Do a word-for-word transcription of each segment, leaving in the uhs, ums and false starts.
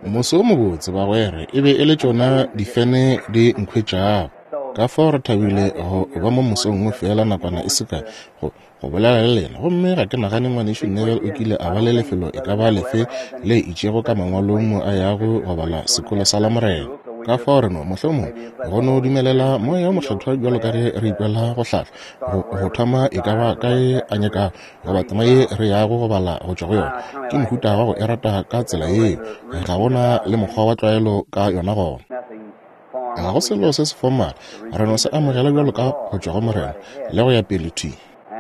Moso o mobotse, bagwera, e be e le tšona difene di nkhwetšago. Ka fao re thabile go ba mo mosong wo feela nakwana e se kae go, go bolela le lena. Gomme ga ke nagane Ngwanešu Neville o kile a ba le lefelo e ka ba lefe le itšego ka mangwalong mo a yago go bala sekolo sa Lamorena. Ka fao re no mohlomongwe go no dumelela Moya wo Mokgethwa bjalo ka ge re ikwela go hlahla go, go thoma e ka ba kae a nyakago goba tema ye re yago go bala go tšwa go yona. Ke mohuta wa go e rata ka tsela yeo. Ga gona le mokgwa wa tlwaelo ka yona gona. Ga go selo se se formal. Re no se amogela bjalo ka go tšwa go Morena le go ya pele thwi.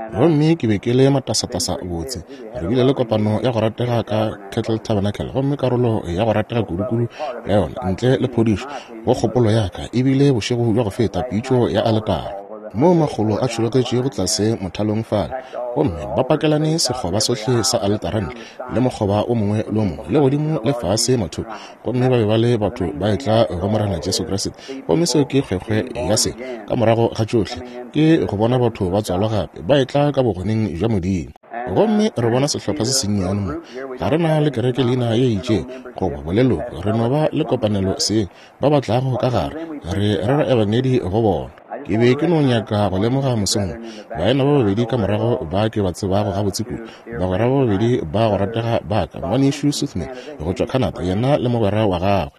Gomme ke be ke le matasatasa botse. Re bile le kopano ya go ratega ka Kettle Tabernacle, gomme karolo ya go ratega kudu-kudu ya yona ntle le phodišo go kgopolo ya ka e bile bošego bja go feta pitšo ya aletara, moo makgolo a tšhologetšego tlase mothalong fale, gomme ba pakelane sekgoba sohle sa aletara ntle le mokgoba o mongwe le o mongwe le godimo le fase mathoko, gomme ba be ba le batho ba etla go Morena Jesu Kriste. Gomme seo ke kgwekgwe ya se ka morago ga tšohle, ke go bona batho ba tswalwa gape ba etla ka bogoneng bja Modimo. Gomme re bona sehlopha se sennyane mo. Ga re na le kereke leina ye itšego goba boleloko, re no ba le kopanelo seng ba ba tlago ka gare, re rera ebangedi go bona. Ke be ke no nyaka go lemoga mosong baena ba babedi ka morago ba ke ba tsebago gabotse kudu, bagwera ba babedi ba go ratega ba ka, Ngwanešu Suthman go tšwa Canada, yena le mogwera wa gagwe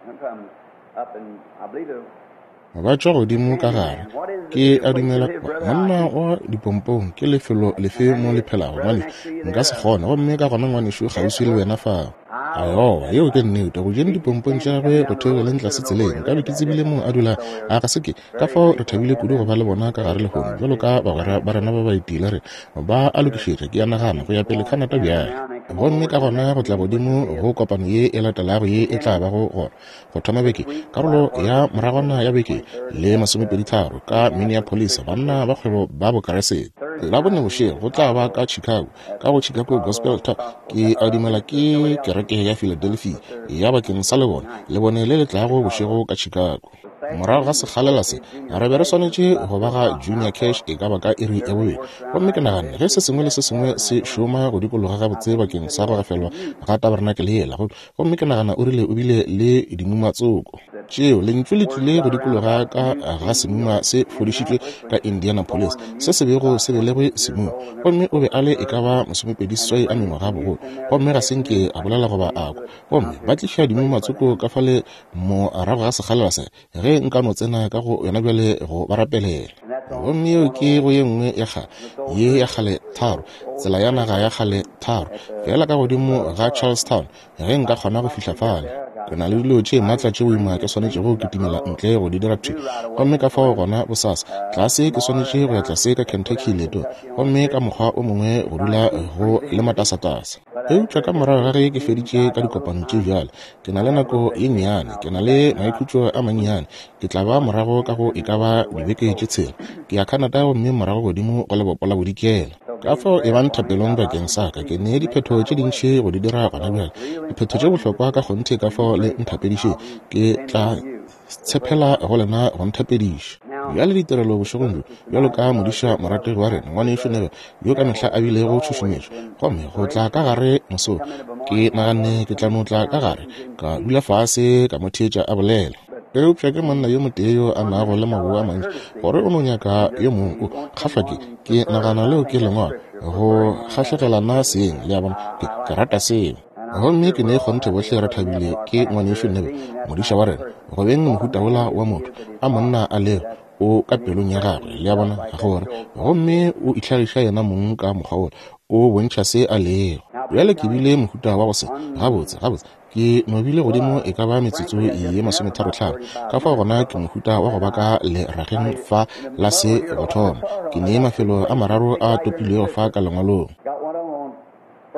ba tšwa godimo ka gare. Ke a dumela monna wa dipompong ke lefelo lefe mo le phelago, ngwanešu? Nka se kgone. Gomme ka gona ngwanešu kgauswi le wena fao. Aowa, yeo ke nnete. Go jeng dipompong tša gagwe go theogeleng tlase tseleng, nkabe ke tsebile mo a dula. A ga se ke? Ka fao re thabile kudu go ba le bona ka gare lehono bjalo ka bagwera ba rena ba ba etile. Re ba a lokišetša, ke a nagana, go ya pele Canada bjale. Gomme ka gona go tla godimo go kopano ye e latelago ye e tla bago gona go thoma beke, karolo ya moragwana ya beke le masomepedi tharo ka Minneapolis, banna ba kgwebo ba Bokeresete. Labone bošego go tla ba ka Chicago, ka go Chicago Gospel Talk. Ke a dumela ke kereke ya Philadelphia ya bakeng sa lebone, lebone le le tlago bošego ka Chicago. Morago ga sekgalela se, re be re swanetše go ba ga Junior Cash e ka ba ka iri ya bobedi. Gomme ke naganne ge se sengwe le se sengwe se šoma go dikologa gabotse bakeng sa go gafelwa ga tabernacle yela, gomme ke nagana o rile o bile le dimuma tsoko tšeo. Lentšu le tlile go dikologa ka ga semuma se fodišitšwe ka Indianapolis, se se bego se belegwe semuma, gomme o be a le e ka ba masomepedi seswai a mengwaga bogolo, gomme ga se nke a bolela goba a kwa. Gomme ba tliša dimuma tsoko ka fale morago ga sekgalela se, ge nka no tsena ka go yona bjale go ba rapelela. Gomme yeo ke go ye nngwe ya kgale ye ya kgale tharo, tsela ya naga ya kgale tharo, fela ka godimo ga Charlestown, ge nka kgona go fihla fale. Ke na le dilo tše maatla tše boima ke swanetšego go kitimela ntle go di dira thwi. Gomme ka fao gona bosasa tlase ke swanetše go ya tlase ka Kentucky leetong, gomme ka mokgwa o mongwe go dula go le matasatasa. Eupša ka morago ga ge ke feditše ka dikopano tše bjale, ke na le nako ye nnyane, ke na le maikhutšo a mannyane. Ke tla ba morago ka go e ka ba dibeke tše tshela. Ke ya Canada gomme morago godimo go lebopo la bodikela. Ka fao e bang thapelong bakeng sa ka. Ke ne diphetho tše dintši go di dira gona bjale, diphetho tše bohlokwa ka kgonthe. Ka fao le nthapediše, ke tla tshepela go lena go nthapediša. Bjale ditirelo bošegong bjo, bjalo ka modiša morategi wa rena Ngwanešu Neville, yo ka mehla a bilego tšhušumetšo, gomme go tla ka gare mosong, ke naganne ke tla no tla ka gare ka dula fase ka mo theetša a bolela. Eupša ke monna yo motee yo a nago le maboa a mantši, gore o no nyaka yo mongwe o kgahlwa ke, ke nagana leo ke lengwalo go kgahlegelana seng, le a bona. Ke, ke rata seo. Gomme ke ne kgonthe bohle re thabile ke Ngwanešu Neville, modiša wa rena, go beng mohuta wola wa motho a monna a lego o ka pelong ya gagwe, le a bona, gore gomme o itlhagiša yena mong ka mokgwa wola, o bontšha se a lego. Bjale ke bile mohuta wa go se gabotse gabotse ke no bile godimo e ka ba metsotso ye masometharo tlhano. Ka fao gona ke mohuta wa go ba ka lerageng fa la se go thoma. Ke ne mafelo a mararo a topilwego fa ka lengwalong.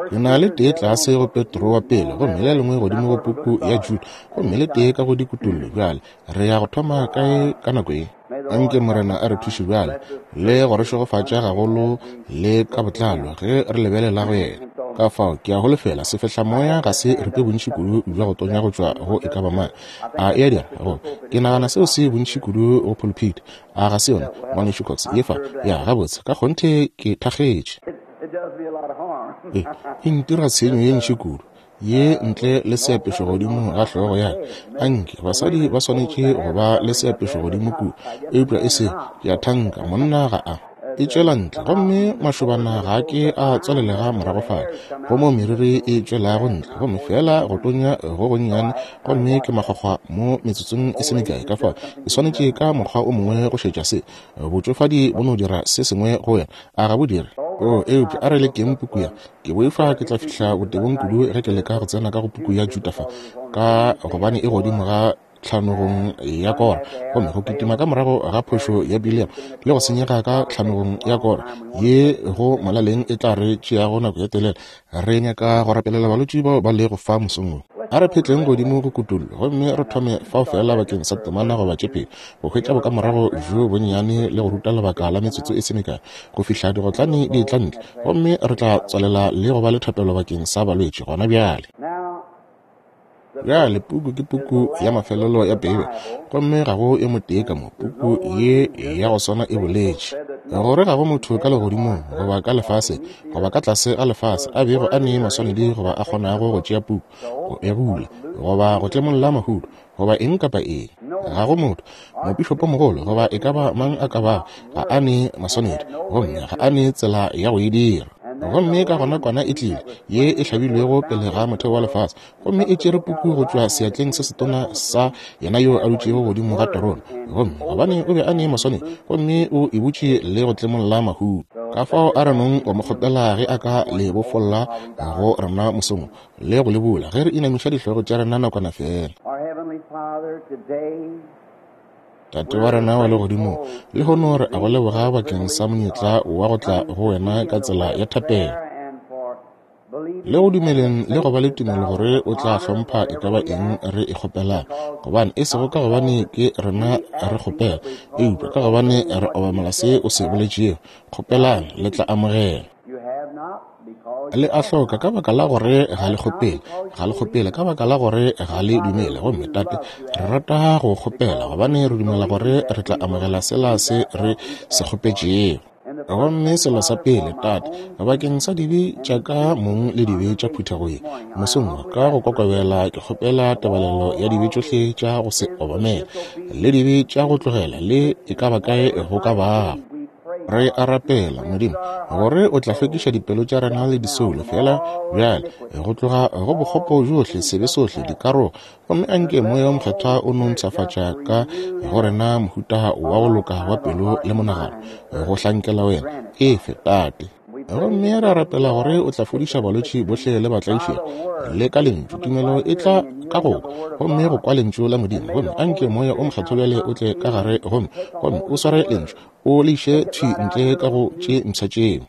Ke na le tee tlase go Petro wa pele, gomme le lengwe godimo go puku ya Jude, gomme le tee ka go dikutullo. Bjale re ya go thoma kae ka nako ye? Anke Morena a re thuše bjale le go re šegofatša gagolo le ka botlalo ge re lebelela go yena. Ka fao ke a holofela sefehlamoya ga se ripe bontši kudu bja go tonya go tšwa go e ka ba mang. A e a dira? Go, ke nagana seo se bontši kudu go pulpit. A ga se yona, Ngwanešu Cox? Ye fa ya gabotse ka kgonthe ke thakgetše. It does me a lot of harm. E, e ntira tshenyo ye ntši kudu ye ntle le seapešo godimo ga hlogo ya ka. Anke basadi ba swanetše go ba le seapešo godimo kudu, eupša e se ke a thanka monna ga a e tšwela ntle, gomme mašobana ga ke a tswalelega morago fale, go mo meriri e tšwelago ntle, gomme fela go tonya go gonnyane, gomme ke makgwakgwa mo metsotsong e se mekae. Ka fao ke swanetše ka mokgwa o mongwe go šetša se. Botšofadi bo no dira se sengwe go wena, a ga bo dire? O, eupša a re lekeng puku ya. Ke boifa ke tla fihla botebong kudu ge ke leka go tsena ka go puku ya Juda fa, ka gobane e godimo ga tlhanogong ya Kora, gomme go kitima ka morago ga phošo ya Bileam le go senyega ka tlhanogong ya Kora ye go molaleng e tla re tšeago nako ye telele. Re nyaka go rapelela balwetši bao ba lego fa mosong wo. A re phetleng godimo go kutollo, gomme re thome fao fela bakeng sa temana goba tše pedi, go hwetša bokamorago bjo bonnyane le go ruta lebaka la metsotso e se mekae go fihla digotlane di etla ntle, gomme re tla tswalela le go ba le thapelo bakeng sa balwetši gona bjale. Bjale puku ke puku ya mafelelo ya Beibele, gomme ga go e motee ka mo. Puku ye ya go swana e boletše gore ga go motho ka legodimong goba ka lefaseng goba ka tlase ga lefase a bego a ne maswanedi goba a kgonago go tšea puku, go e bula, goba go tlemolla mahuto, goba eng kapa eng. Ga go motho, mopišopomogolo goba e ka ba mang a ka bago, ga a ne maswanedi, gomme ga a ne tsela ya go e dira. Gomme ka gona kwana e tlile, ye e hlabilwego pele ga motheo wa lefase, gomme e tšere puku go tšwa seatleng se setona sa yena yo a dutšego godimo ga terone, gomme gobane o be a ne maswanedi, gomme o e butše le go tlemolla mahuto. Ka fao a re nong go mo kgopela ge a ka le bofolla go rena mosong le go le bula, ge re inamiša dihlogo tša rena nakwana fela. Tate wa rena wa legodimong, lehono re a go leboga bakeng sa monyetla wa go tla go wena ka tsela ya thapelo, le go dumeleng le go ba le tumelo gore o tla hlompha e ka ba eng re e kgopelang, gobane e sego ka gobane ke rena re kgopela, eupša ka gobane re obamela se o se boletšego. Kgopelang, le tla amogela. Le a hloka ka baka la gore ga le kgopele, ga le kgopele ka baka la gore ga le dumele. Gomme Tate, re rata go kgopela gobane re dumela gore re tla amogela sela se re se kgopetšego. Gomme selo sa pele, Tate, bakeng sa dibe tša ka mong le dibe tša phuthego ye, mosong wo ka go kokobela ke kgopela tebalelo ya dibe tšohle tša go se obamele le dibe tša go tlogela le e ka ba kae go ka bago. Re a rapela, Modimo, gore o tla hlwekiša dipelo tša rena le disoulo fela bjale go tloga go bokgopo bjohle, sebe sohle, dikarogo, gomme anke Moya wo Mokgethwa o no mpshafatša ka go rena mohuta wa go loka wa pelo le monagano go hlankela wena. Efe, Tate. Gomme re a rapela gore o tla fodiša balwetši bohle le batlaišegi le ka lentšu. Tumelo e tla ka go kwa, gomme go kwa lentšu la Modimo. Gomme anke Moya o Mokgethwa bjale o tle ka gare gomme gomme o sware lentšu, o le iše thwi ntle ka go tše mpsha tšeo.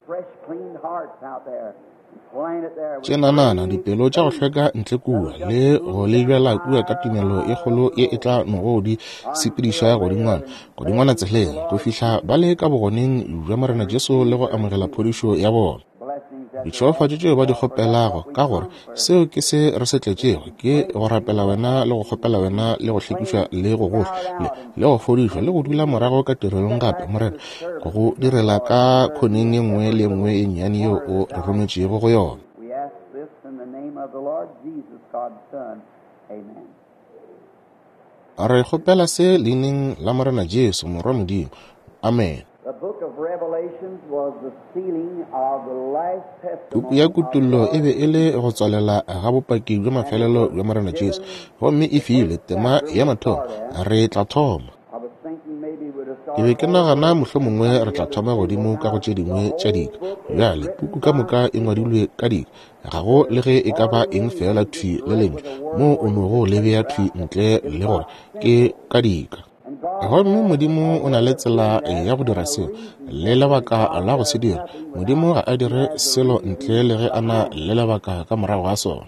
Tše nanana dipelo tša go hlweka ntle kua le go le bjala kua ka tumelo e kgolo ye e tla nogo di sepediša godingwana godingwana tseleng go fihla ba le ka bogoneng bja Morena Jesu le go amogela phodišo ya bona. Ditšhegofatšo tšeo ba di kgopelago, ka gore seo ke se re se tletšego, ke go rapela wena le go kgopela wena le go hlwekišwa le go gohle le, le go fodišwa le go dula morago ka tirelong gape, Morena, go go direla ka khoneng ye nngwe le ye nngwe ye nnyane yeo o re rometšego go yona. Re kgopela se leineng la Morena Jesu, Morwa Modimo. Amen. Puku ya Kutollo e be e le go tswalela ga bopaki bja mafelelo bja Morena Jesu, gomme e filwe tema ya mathomo. Re tla thoma. Ke be ke nagana mohlomongwe re tla thoma godimo ka go tše dingwe tša dika. Bjale puku ka moka e ngwadilwe ka dika, ga go le ge e ka ba eng fela thwi le lentšu moo o nogo le bea thwi ntle le gore ke ka dika. Gomme Modimo o na le tsela ya go dira seo le lebaka la go se dira. Modimo ga a dire selo ntle le ge a na le lebaka ka morago ga sona.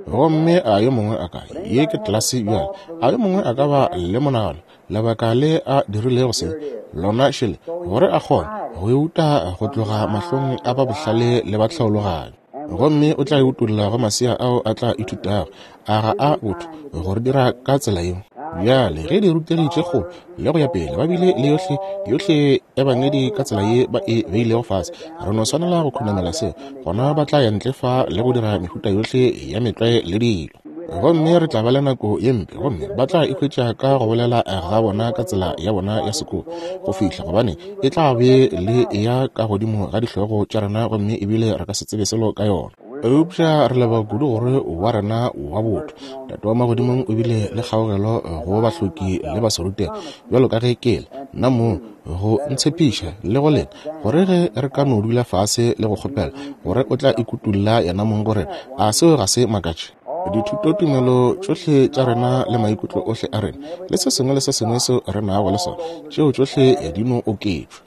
Gomme a yo mongwe a ka, ye ke tlelase bjale, a yo mongwe a ka ba le monagano lebaka le a dirilego se lona šele, gore a kgone go e uta go tloga mahlong a ba bohlale le ba tlhaologanyo. Gomme o tla e utolla go masea ao a tla ithutago, a ga a botho gore dira ka tsela yeo. Bjale ge dirutegi tše kgolo le go ya pele ba bile le yohle yohle ebangedi ka tsela ye ba e beilego fase, re no swanela go khunamela seo, gona ba tla ya ntle fa le go dira mehuta yohle ya metlwae le dilo. Gomme re tla ba le nako ye mpe, gomme ba tla ikhwetša ka go bolela ga bona ka tsela ya bona ya sekolo go fihla, gobane e tla be le ya ka godimo ga dihlogo tša rena, gomme ebile re ka se tsebe selo ka yona. Eupša re leboga kudu gore wa rena wa botho Tate wa magodimong o bile le kgaogelo go bahloki le baserutegi, bjalo ka ge ke le nna mo go ntshepiša le go lena gore ge re ka no dula fase le go kgopela gore o tla ikutulla yena mong gore a seo ga se makatše. Dithutotumelo tšohle tša rena le maikutlo ohle a rena le se sengwe le se sengwe seo re nago le sona, tšeo tšohle di no oketšwa.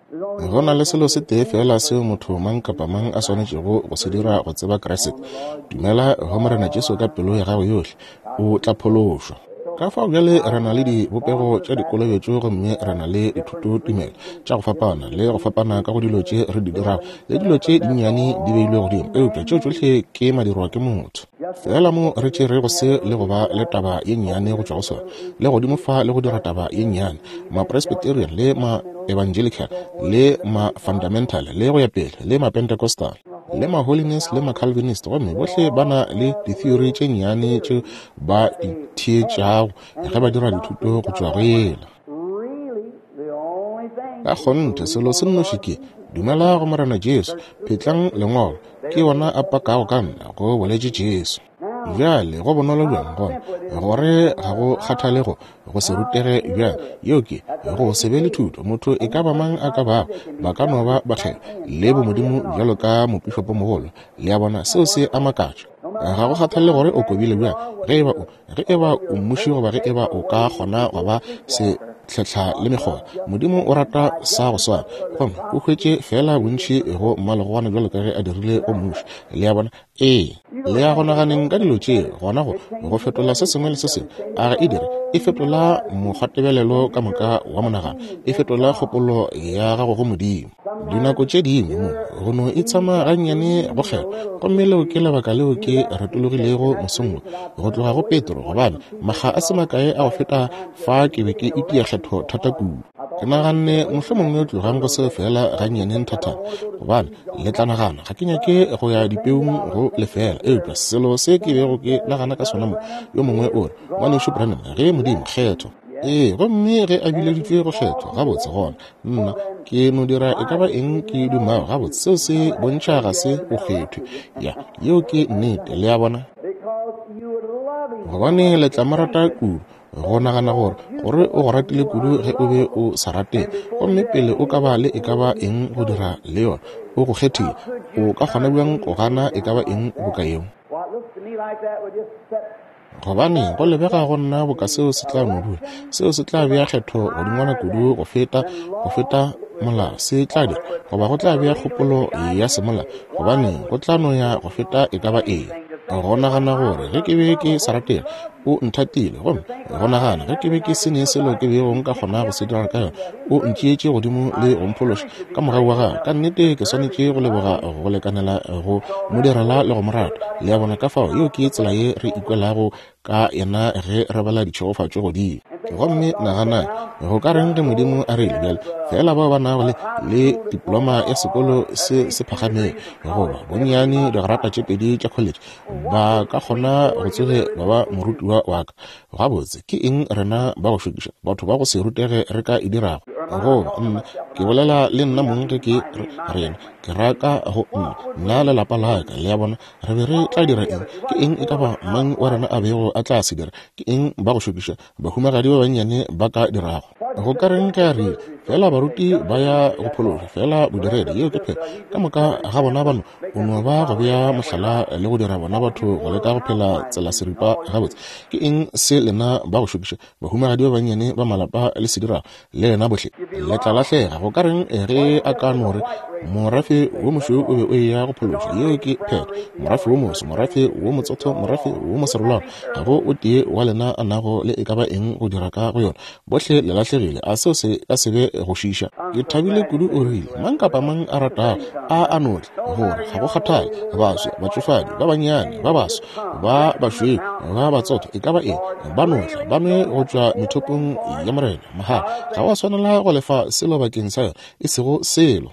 Go na le selo se tee fela seo motho mang kapa mang a swanetšego go se dira go tseba Kriste: dumela go Morena Jesu ka pelo ya gago yohle, o tla phološwa. Ka fao bjale re na le dibopego tša dikolobetšo, gomme re na le dithutotumelo tša go fapana le go fapana ka go dilo tše re di dirago, le dilo tše dinnyane di beilwe godimo, eupša tšeo tšohle ke madirwa ke motho. Fela mo re tšerego se le go ba le taba ye nnyane go tšwa go sona, le godimo fa le go dira taba ye nnyane, ma-Presbyterian le ma-Evangelical le ma-Fundamental le go ya pele le ma-Pentecostal le ma-Holiness le ma-Calvinist, gomme bohle ba na le ditheory tše nnyane tše ba di theetšago ge ba dira dithuto go tšwa go yela. Ka kgonthe selo se nnoši ke dumela go Morena Jesu, phetlang lengwalo, ke yona a pakago ka nna, go boletše Jesu. Bjale go bonolo bjang gona gore ga go kgathale go go se rutege bjang, yeo ke go se be le thuto. Motho e ka ba mang a ka bago, ba ka no ba bakgethwa le bomodimo bjalo ka mopišopomogolo. Le a bona, seo se a makatša. Ga go kgathale gore o kobile bjang, ge eba o ge eba o mmuši goba ge eba o ka kgona go ba se tlhahla le mekgwa, Modimo o rata sa go swana, gomme o hwetše fela bontši go mmalegogwana bjalo ka ge a dirile go mmuši. Le a bona? Ee, le ya go naganeng ka dilo tše gona go go fetola se sengwe le se sengwe. A ga e dire? E fetola mokgwatebelelo ka moka wa monagano, e fetola kgopolo ya gago go Modimo. Dinako tše dingwe mo go no itshama gannyane go kgethwa, gomme leo ke lebaka leo ke retologilego mosong wo go tloga go Petro, gobane makga a se makae a go feta fa ke be ke itia kgetho thata kudu. Ke naganne mohlomongwe tlogang go seo fela gannyane nthathana, gobane le tla nagana ga ke nyake go ya dipeung go lefela. Eupša selo se ke bego ke nagana ka sona mo, yo mongwe o re, Ngwanešu Branham, ge Modimo kgetho. Ee, gomme ge a bileditšwe go kgethwa, gabotse gona nna ke no dira e ka ba eng ke dumago. Gabotse seo se bontšha ga se o kgethwe. Ya, yeo ke nnete. Le a bona? Gobane le tla mo rata kudu go nagana gore gore o go ratile kudu ge o be o sa ratege, gomme pele o ka ba le e ka ba eng go dira le yona, o go kgethile. O ka kgona bjang go gana e ka ba eng boka yeo? Gobane go lebega go nna boka seo se tla no dula, seo se tla bea kgetho godingwana kudu go feta go feta molao se tla dira, goba go tla bea kgopolo ya semola, gobane go tla no ya go feta e ka ba eng. Go nagana gore ge ke be ke sa ratege, o nthatile, gomme go nagana ge ke be ke se ne selo ke bego nka kgona go se dira ka yona, o ntšeetše godimo le go mphološa ka mogau wa gagwe. Ka nnete ke swanetše go leboga go lekanela go mo direla le go mo rata. Le a bona? Ka fao yeo ke tsela ye re ikwelago ka yena ge re bala ditšhegofatšo godimo. Gomme nagana go ka reng ge Modimo a rile bjale fela bao ba nago le le diploma ya sekolo se se phagamego goba bonnyane digrata tše pedi tša college ba ka kgona go tsoge ba ba morutiwa wa ka. Gabotse ke eng rena ba go šokiša batho ba go se rutege re ka e dirago? Goba nna ke bolela le nna mong ge ke rena ke raka go nna nna le lapa la ka. Le a bona? Re be re tla dira eng? Ke eng e ka ba mang wa rena a bego a tla se dira? Ke eng ba go šokiša bahumagadi ba bannyane ba ka dirago? Go ka reng ge a rile fela baruti ba ya go phološa fela bodiredi? Yeo ke phela ka moka ga bona bano o no ba go bea mohlala le go dira bona batho go leka go phela tsela seripa. Gabotse ke eng se lena ba go šokiša bahumagadi ba bannyane ba malapa le se dirago? Le lena bohle le tla lahlega. Go ka reng ge a ka no re Morafe wo mošweu o be o eya go phološwa. Yeo ke phetho. Morafe wo moso, morafe wo motsotho, morafe wo moserolwana, ga go o tee wa lena a nago le e ka ba eng go dira ka go yona. Bohle le lahlegile. A seo se ka se be go šiša? Ke thabile kudu o rile, mang kapa mang a ratago a a no tle, gore ga go kgathale, baswa, batšofadi, ba bannyane, ba baso, ba bašweu, ba batsotho, e ka ba eng, ba no tla, ba nwe go tšwa methopong ya Morena mahala. Ga wa swanela go lefa selo bakeng sa yona, e sego selo.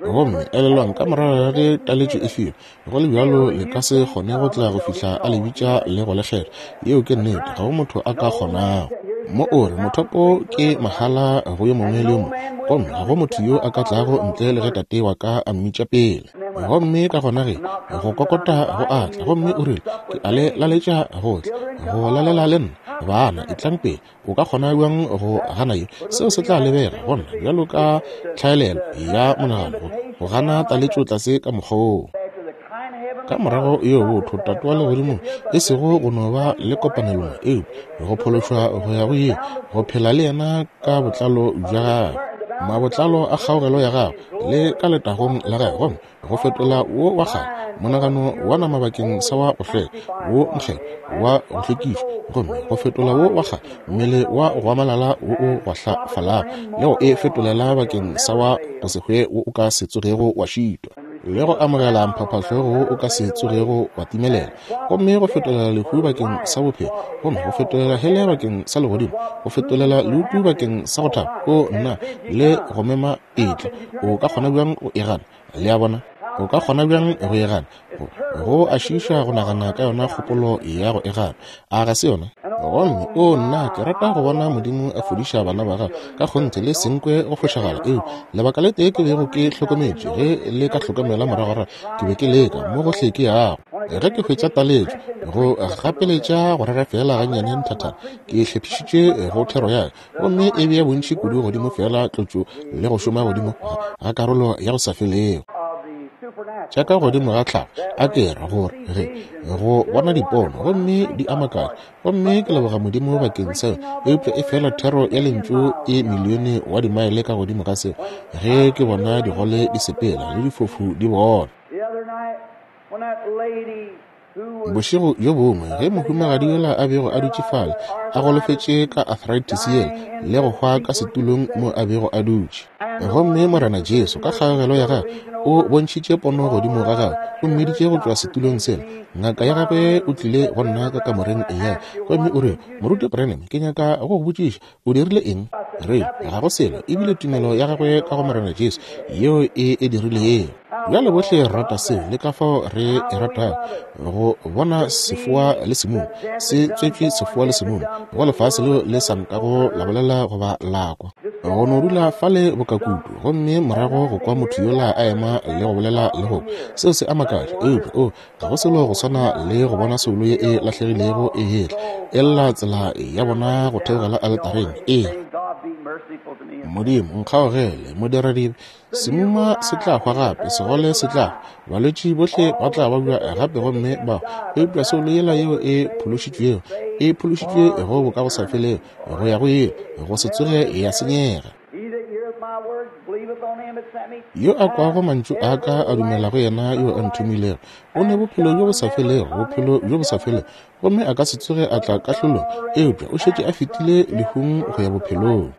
Gomme elelwang, ka morago ga ge taletšo e filwe, go le bjalo le ka se kgone go tla go fihla a le bitša le go le kgetha. Yeo ke nnete, ga go motho a ka kgonago. Mo o re mothopo ke mahala go yo mongwe le yo mongwe, gomme ga go motho yo a ka tlago ntle le ge tate wa ka a mmitša pele. Gomme ka gona ge go kokota go atla, gomme o rile, ke a le laletša go tla go lalela le nna. Bana, etlang pele. O ka kgona bjang go gana ye? Seo se tla lebega go nna bjalo ka tlhaelelo ya monagano go gana taletšo tlase ka mokgwa woo. Ka morago yo botho Tate wa legodimong, e sego go no ba le kopanelong, eupša go phološwa go ya go ye, go phela le yena ka botlalo bja gagwe, mabotlalo a kgaogelo ya gagwe, le ka letagong la gagwe, gomme go fetola wo wa kgale monagano wa nama bakeng sa wa go hlweka, wo mokgethwa wa go hlwekišwa, gomme go fetola wo wa kgale mmele wa go amalala wo o gwahlafalago, le go e fetolela bakeng sa wa go se hwe wo o ka se tsogego wa šitwa, le go amogela mphaphahlogo wo o ka se tsogego wa timelela, gomme go fetolela lehu bakeng sa bophelo, gomme go fetolela hele bakeng sa legodimo, go fetolela leutu bakeng sa go thaba. O nna le go mema etla, o ka kgona bjang go e gana? Le a bona? O ka kgona bjang go e gana? Go a šiiša go nagana ka yona kgopolo ya go e gana. A ga se yona? Gomme o nna ke rata go bona Modimo a fodiša bana ba gagwe ka kgonthe, le senkwe go fošagala. Eo lebaka le tee ke bego ke hlokometše, ge le ka hlokomela moragorago, ke be ke leka mo gohle ke yago. Ge ke hwetša taletšo go gapeletša go rera fela gannyane nthathana, ke hlephišitše go thero ya ka, gomme e bea bontši kudu godimo fela tlotšo le go šoma godimo ga karolo ya go sa felego tša ka godimo ga tlhago. A ke re gore ge go bona dipono gomme di a makatša, gomme ke leboga Modimo bakeng seo, eupša e fela thero ya lentšu e milione wa dimaele ka godimo ga seo, ge ke bona digole di sepela le difofu di bona. Bošego bjo bongwe ge mohumagadi yola a bego a dutše fale a golofetše ka arthritis yela le go hwa ka setulong mo a bego a dutše, gomme Morena Jesu ka kgaogelo ya gagwe o bontšhitše pono godimo ga gagwe, o mmiditše go tšwa setulong sela. Ngaka ya gagwe o tlile go nna ka kamoreng ya, gomme o rile, Moruti Branham, ke nyaka go go botšiša, o dirile eng? Re ga go selo, ebile tumelo ya gagwe ka go Morena Jesu yeo e e dirilego. Bjale bohle re rata seo, le ka fao re e ratago go bona sefoa le semumu se tswetšwe, sefoa le semumu go lefase leo le sa nkago la bolela goba la kwa, go no dula fale bokakutu, gomme morago go kwa motho yola a ema le go bolela le go seo se a makatša. Eupša o ga go selo go swana le go bona soulo ye e lahlegilego e etla e lla tsela ya bona go theogela aletareng. E Modimo nkgaogele, modiradibe. Semuma se tla hwa gape, segole se tla hwa, balwetši bohle ba tla babja gape gomme ba hwa. Eupša soulo yela yeo e phološitšwego, e phološitšwe go bo ka go sa felego, go ya go ile, go se tsoge ya senyega. Yo a kwago mantšu a ka a dumela go yena yo a nthomilego, o ne bophelo bjo bo sa felego, bophelo bjo bo sa felego, gomme a ka se tsoge a tla kahlolong, eupša o šetše a fetile lehung go ya bophelong,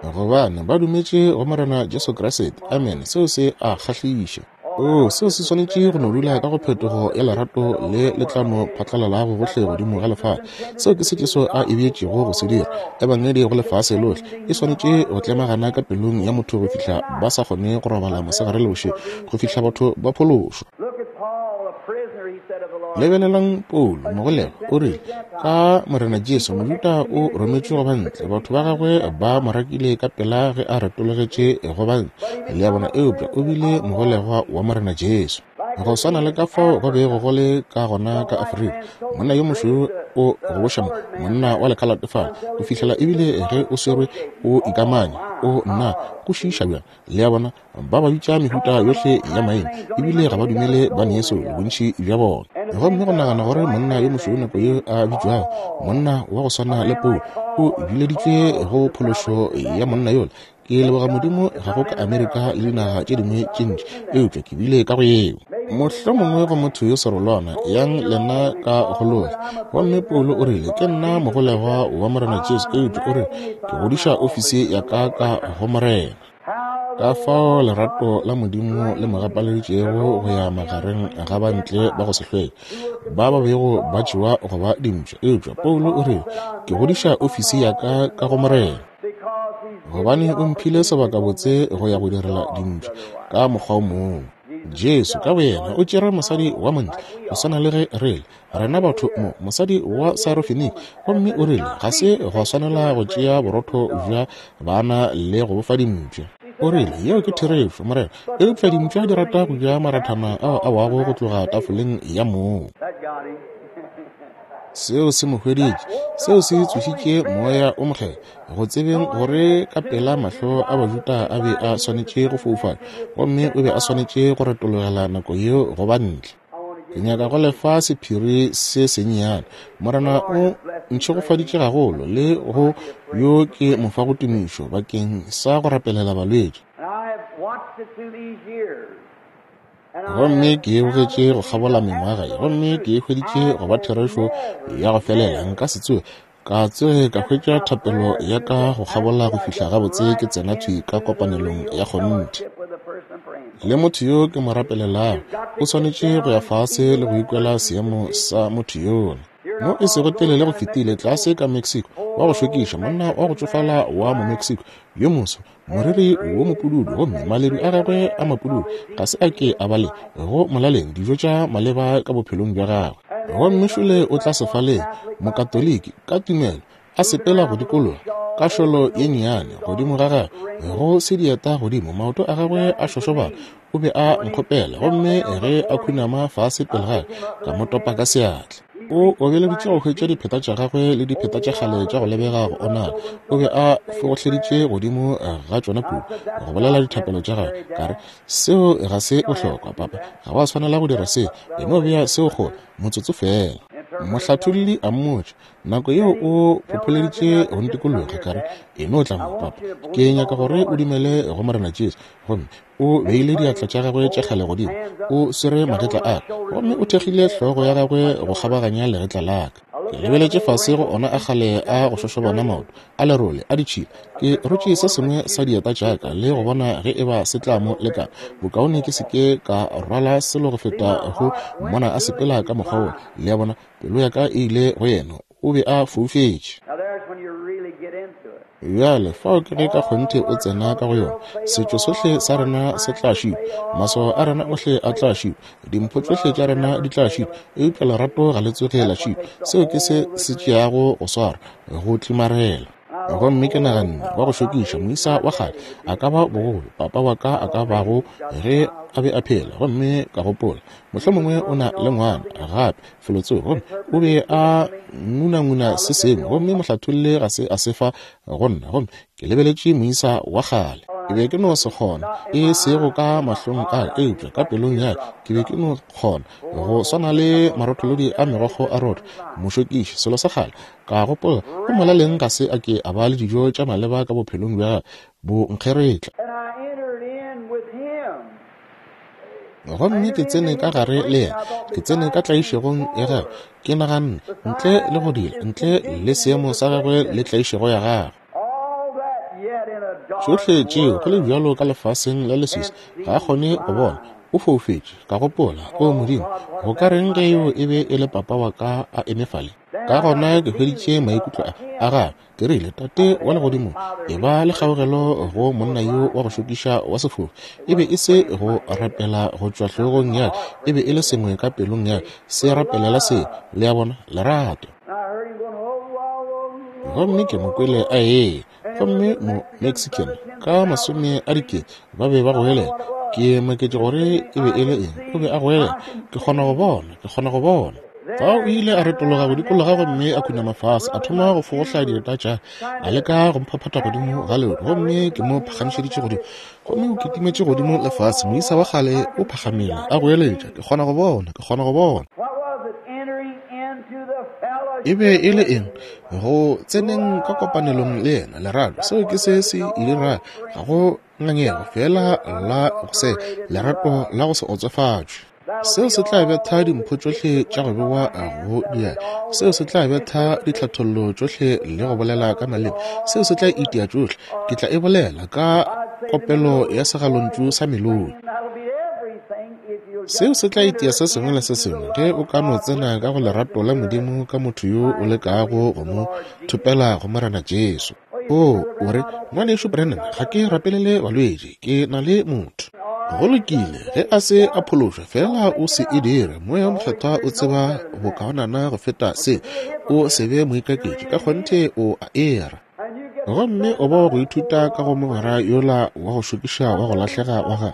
gobane ba dumetše go Morena Jesu Kriste. Amen. Seo se a kgahliša. O seo se swanetše go no dula ka go phetogo ya lerato le le tla no phatlalalago gohle godimo ga lefase. Seo ke se Jesu a e beetšego go se dira. Ebangedi go lefase lohle e swanetše go tlemagana ka pelong ya motho go fihla ba sa kgone go robala mosegare le bošego, go fihla batho ba phološwa. Lebelelang Paulo mogolegwa, o rile ka Morena Jesu, Mojuda o rometšwe go bantle, batho ba gagwe ba mo rakile ka pela ge a retologetše go bantle. Le a bona? Eupša o bile mogolegwa wa Morena Jesu. Go swana le ka fao go bego go le ka gona ka Afrika, monna yo mošweu o goboša mo, monna wa lekhalate fale, go fihlela ebile ge o swerwe o ikamanya, o nna, go šiiša bjang. Le a bona, ba ba bitša mehuta yohle ya maina, ebile ga ba dumele ba neso bontši bja bona. Gomme go nagana gore monna yo mošweu nako ye a bitšwago monna wa go swana le Paulo o bileditšwe go phološo ya monna yola. Ke leboga Modimo ga go ka Amerika le dinaga tše dingwe tše ntši, eupša ke bile ka go yeo. Mohlomongwe go motho yo serolwana yang lena ka go lola. Gomme Paulo o rile, ke nna mogolegwa wa Morena Jesu, eupša o re ke godiša ofisi ya ka ka go Morena. Ka fao lerato la Modimo le mo gapaleditšego go ya magareng ga bantle ba go se hlweke, ba ba bego ba tšewa go ba dimpša. Eupša Paulo o rile, ke godiša ofisi ya ka ka go Morena, gobane o mphile sebakabotse go ya go direla dimpša ka mokgwa o mongwe. Jesu ka boyena o tšere mosadi wa montle go swana le ge re le rena batho mo, mosadi wa Sirofenike, gomme o rile ga se gwa swanela go tšea borotho bja bana le go bofa dimpša. O rile, yeo ke therešo, Morena, eupša dimpša di rata go ja marathana ao a wago go tloga tafoleng ya moo. Seo se mo hweditše, seo se tsošitše moya o mokgethwa, go tsebeng gore ka pela mahlo a Bajuda a be a swanetše go foufala, gomme o be a swanetše go retologela nako yeo go ba ntle. Ke nyaka go lefa sephiri se sennyane. Morena o ntšhegofaditše gagolo le go yo ke mo fago tumišo bakeng sa go rapelela balwetši. Gomme ke e bogetše go kgabola mengwaga ye, gomme ke e hweditše go ba therešo ya go felela. Nka se tsoge ka tsoge ka hwetša thapelo ya ka go kgabola go fihla gabotse ke tsena thwi ka kopanelong ya kgonthe le motho yo ke mo rapelelago. O swanetše go ya fase le go ikwela seemo sa motho yola. Mo e sego telele go fetile tlase ka Mexico, wa go šokiša, monna wa go tšofala wa mo Mexico yo moso, moriri wo mopududu, gomme maledu a gagwe a mapududu ga se a ke a ba le go molaleng dijo tša maleba ka bophelong bja gagwe. Gomme šole o tla sefaleng, mokatoliki ka tumelo, a sepela go dikologa ka šolo ye nnyane godimo ga gagwe, go se dieta godimo, maoto a gagwe a šošobala. O be a nkgopela, gomme ge a khunama fase pele gagwe, ka mo topa ka seatla. O obeleditše go hwetša dipheta tša gagwe le dipheta tša kgale tša go lebega go onala. O be a fogohleditše godimo ga tšona kudu go bolela dithapelo tša gagwe. Ka re, seo ga se bohlokwa, papa, ga wa swanela go dira se, e no bea seo kgole motsotso fela. Mohlatholli a mmotša, nako yeo o phopholeditše go ntikologa. Ka re, e no tla mo, papa, ke nyaka gore o dumele go Morena Jesu. Gomme o beile diatla tša gagwe tša kgale godimo, o swere magetla a ka, gomme o thekgile hlogo ya gagwe go kgabaganya legetla la ka. Ke lebeletše fase go ona a kgale a go šošobana maoto a lerole a ditšhila. Ke rotše se sengwe sa dieta tša ka le go bona ge e ba se tla mo lekana. Bokaone ke se ke ka rwala selo go feta go mmona a sepela ka mokgwa wo. Le a bona, pelo ya ka e ile go yena, o be a foufetše. Bjale fao ke ge ka kgonthe o tsena ka go yona. Setšo sohle sa rena se tla šitwa, maswao a rena ohle a tla šitwa, dimpho tšohle tša rena di tla šitwa, eupša lerato ga le tsoge la šitwa. Seo ke se se tšeago go swara, go tlimarela. Gomme ke naganne, wa go šokiša moisa wa kgale a ka ba bogolo papa wa ka a ka bago ge a be a phela. Gomme ka gopola, mohlomongwe o na le ngwana gape felotsoko, gomme o be a ngunanguna se sengwe, gomme mohlatholle ga se a se fa go nna. Gomme ke lebeletše moisa wa kgale, ke be ke no se kgona, e sego ka mahlong a ka, eupša ka pelong ya ka ke be ke no kgona go swana le marotholodi a megokgo a rotho. Mošokiši, selo sa kgale. Ka gopola, go molaleng ga se a ke a ba le dijo tša maleba ka bophelong bja gagwe, bo nkgeretla. Gomme ke tsene ka gare le yena, ke tsene ka tlaišegong ya gagwe. Ke naganne, ntle le go dira, ntle le seemo sa gagwe le tlaišego ya gagwe, tšohle tšeo go le bjalo ka lefaseng la leswiswi, ga a kgone go bona, o foufetše. Ka gopola, o Modimo, go ka reng ge yo e be e le papa wa ka a eme fale? Ka gona ke hweditše maikutlo a a gagwe. Ke rile, Tate wa legodimo, e ba le kgaogelo go monna yo wa go šokiša wa sefofu. E be e se go rapela go tšwa hlogong ya ka, e be e le sengwe ka pelong ya ka se rapelela seo. Le a bona, lerato. Gomme ke mo kwele a ee, gomme mo Mexican ka masome a dikete ba be ba goelela. Ke maketše gore e be e le eng. O be a goelela, ke kgona go bona, ke kgona go bona. Fao o ile a retologa go dikologa gomme a khunama fase, a thoma go fogohla dieta tša, a leka go mphaphatha godimo ga leoto, gomme ke mo phagamišeditše godimo. Gomme o kitimetše godimo le fase, moisa wa kgale o phagamile, a goeletša, ke kgona go bona, ke kgona go bona. E be e le eng? Go tseneng ka kopanelong le yena, lerato. Seo ke se se e dira, ga go ngangego, fela la go se, lerato la go se otsofatšwe. Seo se tla betha dimpho tšohle tša go bewa go dia. Seo se tla betha ditlhathollo tšohle le go bolela ka maleme. Seo se tla itia tšohle. Ke tla e bolela ka kopelo ya segalontšu sa melodi. Seo se tla itia se sengwe le se sengwe ge o ka no tsena ka go lerato la Modimo ka motho yo o lekago go mo thopela go Morena Jesu. O, o re, Ngwanešu Branham, ga ke rapelele balwetši, ke na le motho. Go lokile, ge a se a phološwa, fela o se e dire. Moya o Mokgethwa o tseba bokaonana go feta se. O se be moikaketši, ka kgonthe o a era. Gomme o bo go ithuta ka go mogwera yola wa go šokiša wa go lahlega wa gagwe.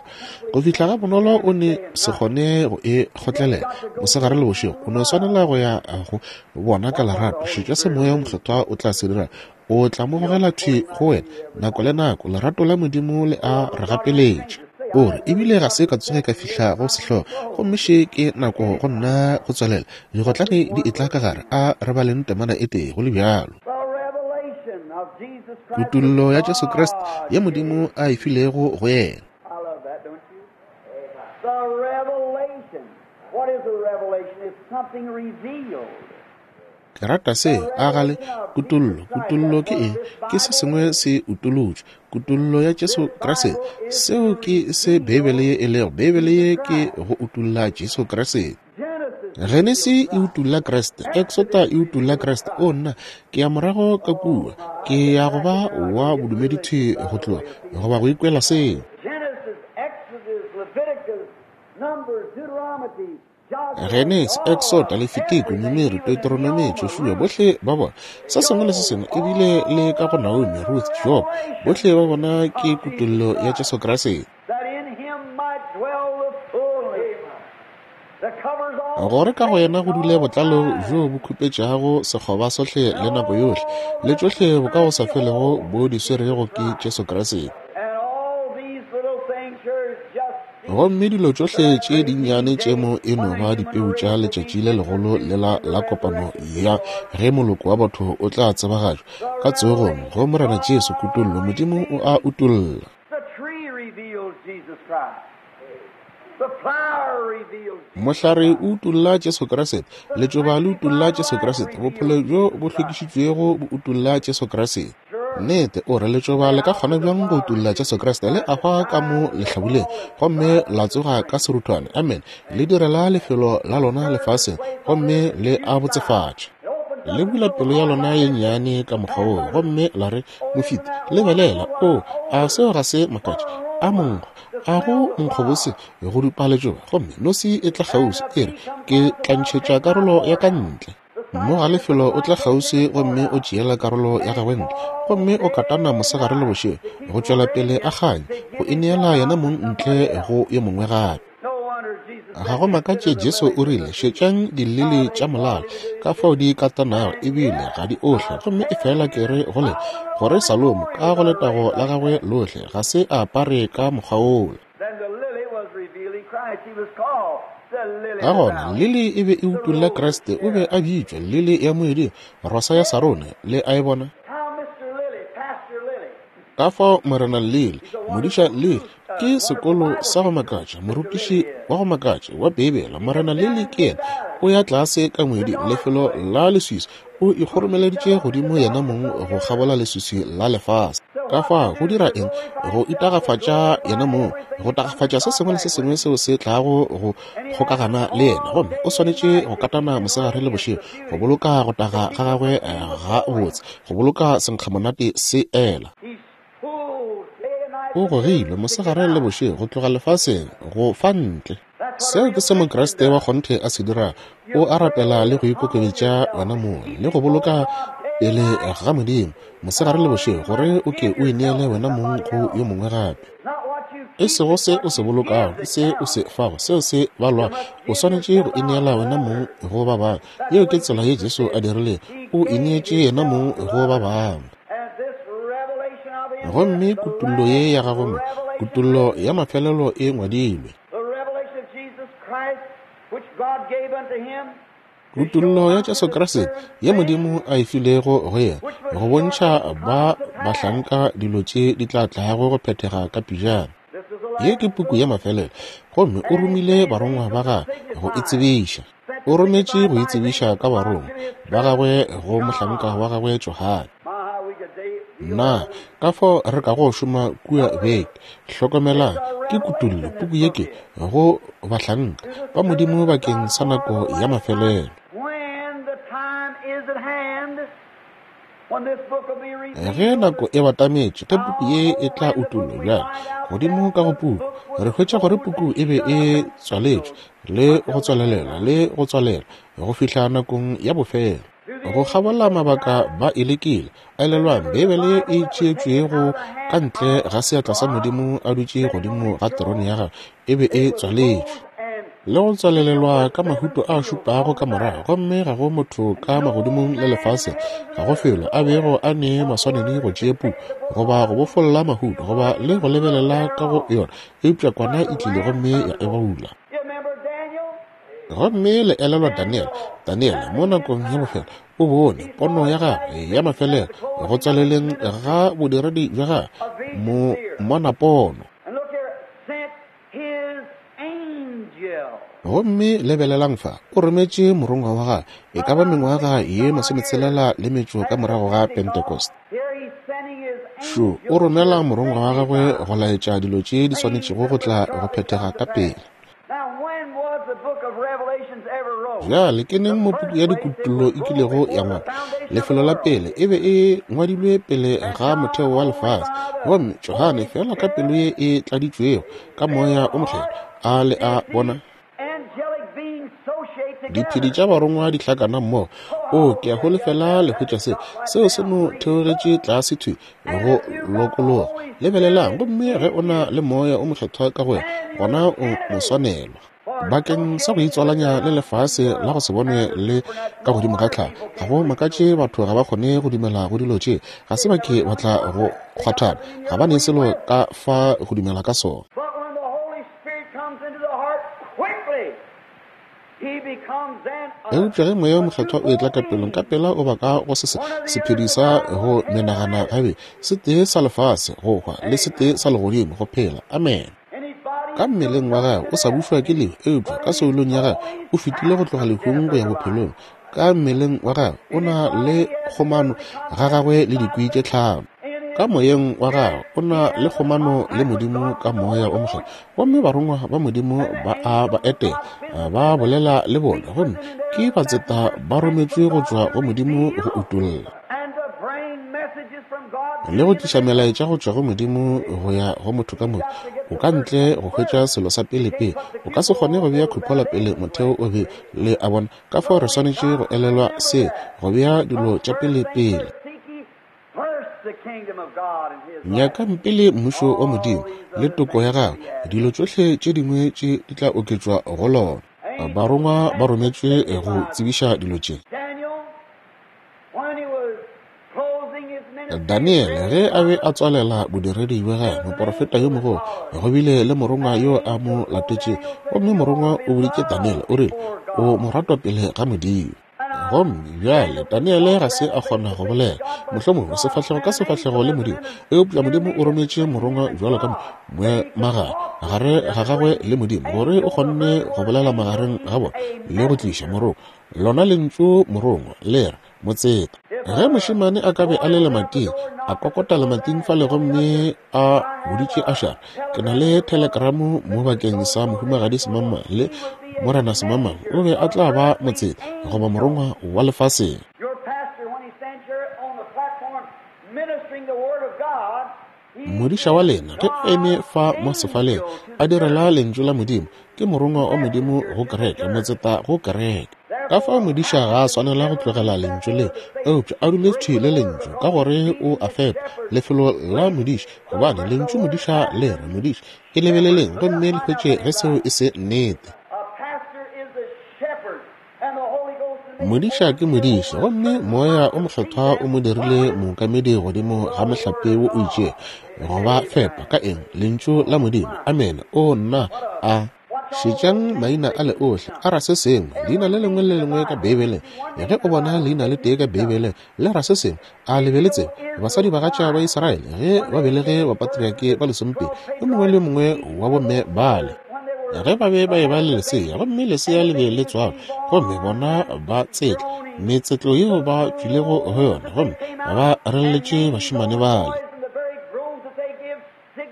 Go fihla ga bonolo o ne se kgone go e kgotlelela mosegare le bošego. O no swanela go ya go bona ka lerato. Šetša se Moya o Mokgethwa o tla se dira. O tla mo gogela thwi go wena nako le nako. Lerato la Modimo le a re gapeletša. O re, ebile ga se ka tsoge ka fihla go sehlogo, gomme še ke nako go nna go tswalela. Digotlane di etla ka gare, a re baleng temana e tee go le bjalo. Kutollo ya Jesu Kriste ye Modimo a e filego go yena. Ke rata se, a gale, kutollo. Kutollo ke eng? Ke se sengwe se utolotšwe. Kutollo ya Jesu Kriste. Seo ke se Beibele ye e lego. Beibele ye ke go utolla Jesu Kriste. Genesi e utolla Kriste, Exota e utolla Kriste. O nna, ke ya morago ka kua, ke ya go ba wa bodumedi thwi go tloga, goba go ikwela seo. Genesi, Exota, Lefitiko, Numeri, Deuteronomy, Joshua, bohle ba bona. Se sengwe le se sengwe, ebile le ka go Naomi, Ruth, Job, bohle ba bona ke kutollo ya Jesu Kriste. Gore ka go yena go dule botlalo bjo bo khupetšago sekgoba sohle le nako yohle, le tšohle bo ka go sa felego bo di swerego ke Jesu Kriste. Gomme dilo tšohle tše dinnyane tše mo e no ba dipeu tša letšatši le legolo lela la kopano ya ge moloko wa batho o tla tsebagatšwa ka tsogong go Morena Jesu. Kutollo, Modimo o a utolla. Mohlare o utolla Jesu Kriste, letšoba le utolla Jesu Kriste, bophelo bjo bo hlwekišitšwego bo utolla Jesu Kriste. Nnete, o re letšoba le ka kgona bjang go utolla Jesu Kriste? Le ahwa ka mo lehlabuleng gomme la tsoga ka seruthwane. Amen. Le direla lefelo la lona lefaseng gomme le a botsefatša. Le bula pelo ya lona ye nnyane ka mokgwa woo gomme la re, mofiti, lebelela, o, a seo ga se makatše? A monkgo, a go nkgobose go dupa letšoba, gomme nosi e tla kgauswi, e re, ke tla ntšhetša karolo ya ka ntle. Mo ga lefelo o tla kgauswi gomme o tšeela karolo ya gagwe ntle, gomme o katana mosegare le bošego go tšwela pele a kganya, go ineela yena mong ntle go yo mongwe gape. Ga go makatše Jesu o rile, šetšang dilili tša molala, ka fao di katanago ebile ga di ohle, gomme e fela ke re go le gore Salomo ka go letago la gagwe lohle ga se a apare ka mokgwa wola. Ka gona lili e be e utolla Kriste, o be a bitšwa lili ya moeding, rosa ya Sarone, le a e bona. Ka fao Morena Lili, modiša Lili, ke sekolo sa go makatša, morutiši wa go makatša wa Beibele. Morena Lili ke yena, o ya tlase ka moeding, lefelo la leswiswi, o ikgoromeleditše godimo yena mong go kgabola leswiswi la lefase. Ka fao go dira eng? Go itagafatša yena mong, go tagafatša se sengwe le se sengwe seo se tlago go kgokagana le yena. Gomme o swanetše go katana mosegare le bošego go boloka go taga ga gagwe ga botse, go boloka senkgamonate se ela. O gogilwe mosegare le bošego go tloga lefaseng go fa ntle. Seo ke se Mokriste wa kgonthe a se dira. O a rapela le go ikokobetša wena mong le go boloka pele ga Modimo mosegare le bošego, gore o ke o ineele wena mong go yo mongwe gape. E sego se o se bolokago, ke se o se fago, seo se balwa. O swanetše go ineela wena mong go ba bangwe. Yeo ke tsela ye Jesu a dirilego. O ineetše yena mong go ba bangwe. Gomme kutollo ye ya gagwe mo, kutollo ya mafelelo e ngwadilwe. Kutollo ya Jesu Kriste ye Modimo a e filego go yena, go bontšha ba bahlanka dilo tše di tla tlago go phethega ka pejana. Ye ke puku ya mafelelo, gomme o romile barongwa ba gagwe go e tsebiša. O rometše go e tsebiša ka barongwa ba gagwe go mohlanka wa gagwe Johane. Na ka fao re ka go šoma kua beke. Hlokomelang, ke kutollo puku ye ke go bahlanka ba Modimo bakeng sa nako ya mafelelo. Ge nako e batametše, ge puku ye e tla utollwa bjale godimo ka go puku, re hwetša gore puku e be e tswaletšwe le go tswalelela le go tswalela go fihla nakong ya bofelo. Go kgabola mabaka ba e lekile. Elelwang, Beibele e tšeetšwego ka ntle ga seatla sa Modimo a dutše godimo ga terone ya gagwe e be e tswaletšwe le go tswalelelwa ka mahuto a šupago ka morago, gomme ga go motho ka magodimong le lefaseng, ga go felo a bego a ne maswanedi go tšea puku goba go bofolla mahuto goba le go lebelela ka go yona, eupša kwana e tlile gomme ya e baula. Gomme le elelwa Daniel. Daniel mo nakong ya bofelo o bone pono ya gagwe ya mafelelo go tswaleleng ga bodiredi bja gagwe, mo mona pono. Gomme lebelelang fa, o rometše morongwa wa gagwe e ka ba mengwaga ye masometshelela le metšo ka morago ga Pentecost. Šo o romela morongwa wa gagwe go laetša dilo tše di swanetšego go tla go phethega ka pele. Bjale ke neng mo puku ya dikutullo e kilego ya ngwalwa? Lefelo la pele e be e ngwadilwe pele ga motheo wa lefase, gomme Johane fela ka pelo ye e tladitšwego ka moya o mokgethwa a le a bona diphedi tša barongwa di hlakana mmogo. O ke a holofela le hwetša se seo se no theogetše tlase thwi go lokologa. Lebelelang, gomme ge o na le moya o mokgethwa ka go wena, gona o moswanelwa bakeng sa go itswalanya le lefase la go se bone le ka godimo ga tlhago. Ga go makatše batho ga ba kgone go dumela go dilo tše, ga se ba ke ba tla go kgwathana, ga ba ne selo ka fa go dumela ka sona. Eupša ge moya o mokgethwa o etla ka pelong, ka pela o ba ka go se sephedi sa go menagana gabe, se tee sa lefase go hwa le se tee sa legodimo go phela. Amen. Ka mmeleng wa gagwe o sa bušwa ke lehu, eupša ka soulong ya gagwe o fetile go tloga lehung go ya bophelong. Ka mmeleng wa gagwe o na le kgomano ga gagwe le dikwi tše tlhano. Ka moyeng wa gagwe o na le kgomano le Modimo ka moya o mokgethwa, gomme barongwa ba Modimo ba a ba etela, ba bolela le bona, gomme ke batseta ba rometšwe go tšwa go Modimo go utolla le go tliša melaetša go tšwa go Modimo go ya go motho ka moka. O ka ntle go hwetša selo sa pele-pele, o ka se kgone go bea khuphola pele motheo o be le a bona. Ka fao re swanetše go elelwa se, go bea dilo tša pele-pele. Nyakang pele mmušo wa Modimo le toko ya gagwe, dilo tšohle tše dingwe tše di tla oketšwa go lona. Barongwa ba rometšwe go tsebiša dilo tše. Daniel ge a be a tswalela bodiredi bja gagwe, moporofeta yo mogolo, go bile le morongwa yo a mo latetše, gomme morongwa o boditše Daniel o rile, o mo ratwa pele ga Modimo. Gomme bjale Daniele ga se a kgona go bolela mohlomongwe sefahlego ka sefahlego le Modimo, eupša Modimo o rometše morongwa bjalo ka moemagare gare ga gagwe le Modimo gore o kgonne go bolela magareng ga bona le go tliša morongwa. Lona lentšu morongwa le re motseta. Ge mošemane a ka be a le lemating, a kokota lemating fale gomme a boditše Ashara, ke na le telegramo mo bakeng sa mohumagadi Semama le morena Semama, o be a tla ba motseta goba morongwa wa lefaseng. Modiša wa lena ge eme fa mo sefaleng a direla lentšu la Modimo, ke morongwa wa Modimo go kereke, motseta go kereke. Ka fao modiša ga a swanela go tlogela lentšu leo, eupša a dule thwi le lentšu, ka gore o a fepa lefelo la modiša, gobane lentšu modiša le re modiša. E lebeleleng gomme le hwetše ge seo e se nnete. Modiša ke modiša, gomme Moya o Mokgethwa o mo dirile mookamedi godimo ga mohlape wo o itšego, go ba fepa ka eng? Lentšu la Modimo. Amene. O nna a šetšang maina a le ohle a ra se sengwe. Leina le lengwe le lengwe ka Beibeleng, ge o bona leina le tee ka Beibeleng le ra se sengwe, a le be le tsebe. Basadi bagatša ba Israele ge ba belege bapatriake ba lesomepedi, yo mongwe le yo mongwe wa bomme bale, ge ba be ba eba le lesea, gomme lesea le be le tswalwa, gomme bona ba tsetla metsetlo yeo ba tšwilego go yona, gomme ba relletše bašemane bale.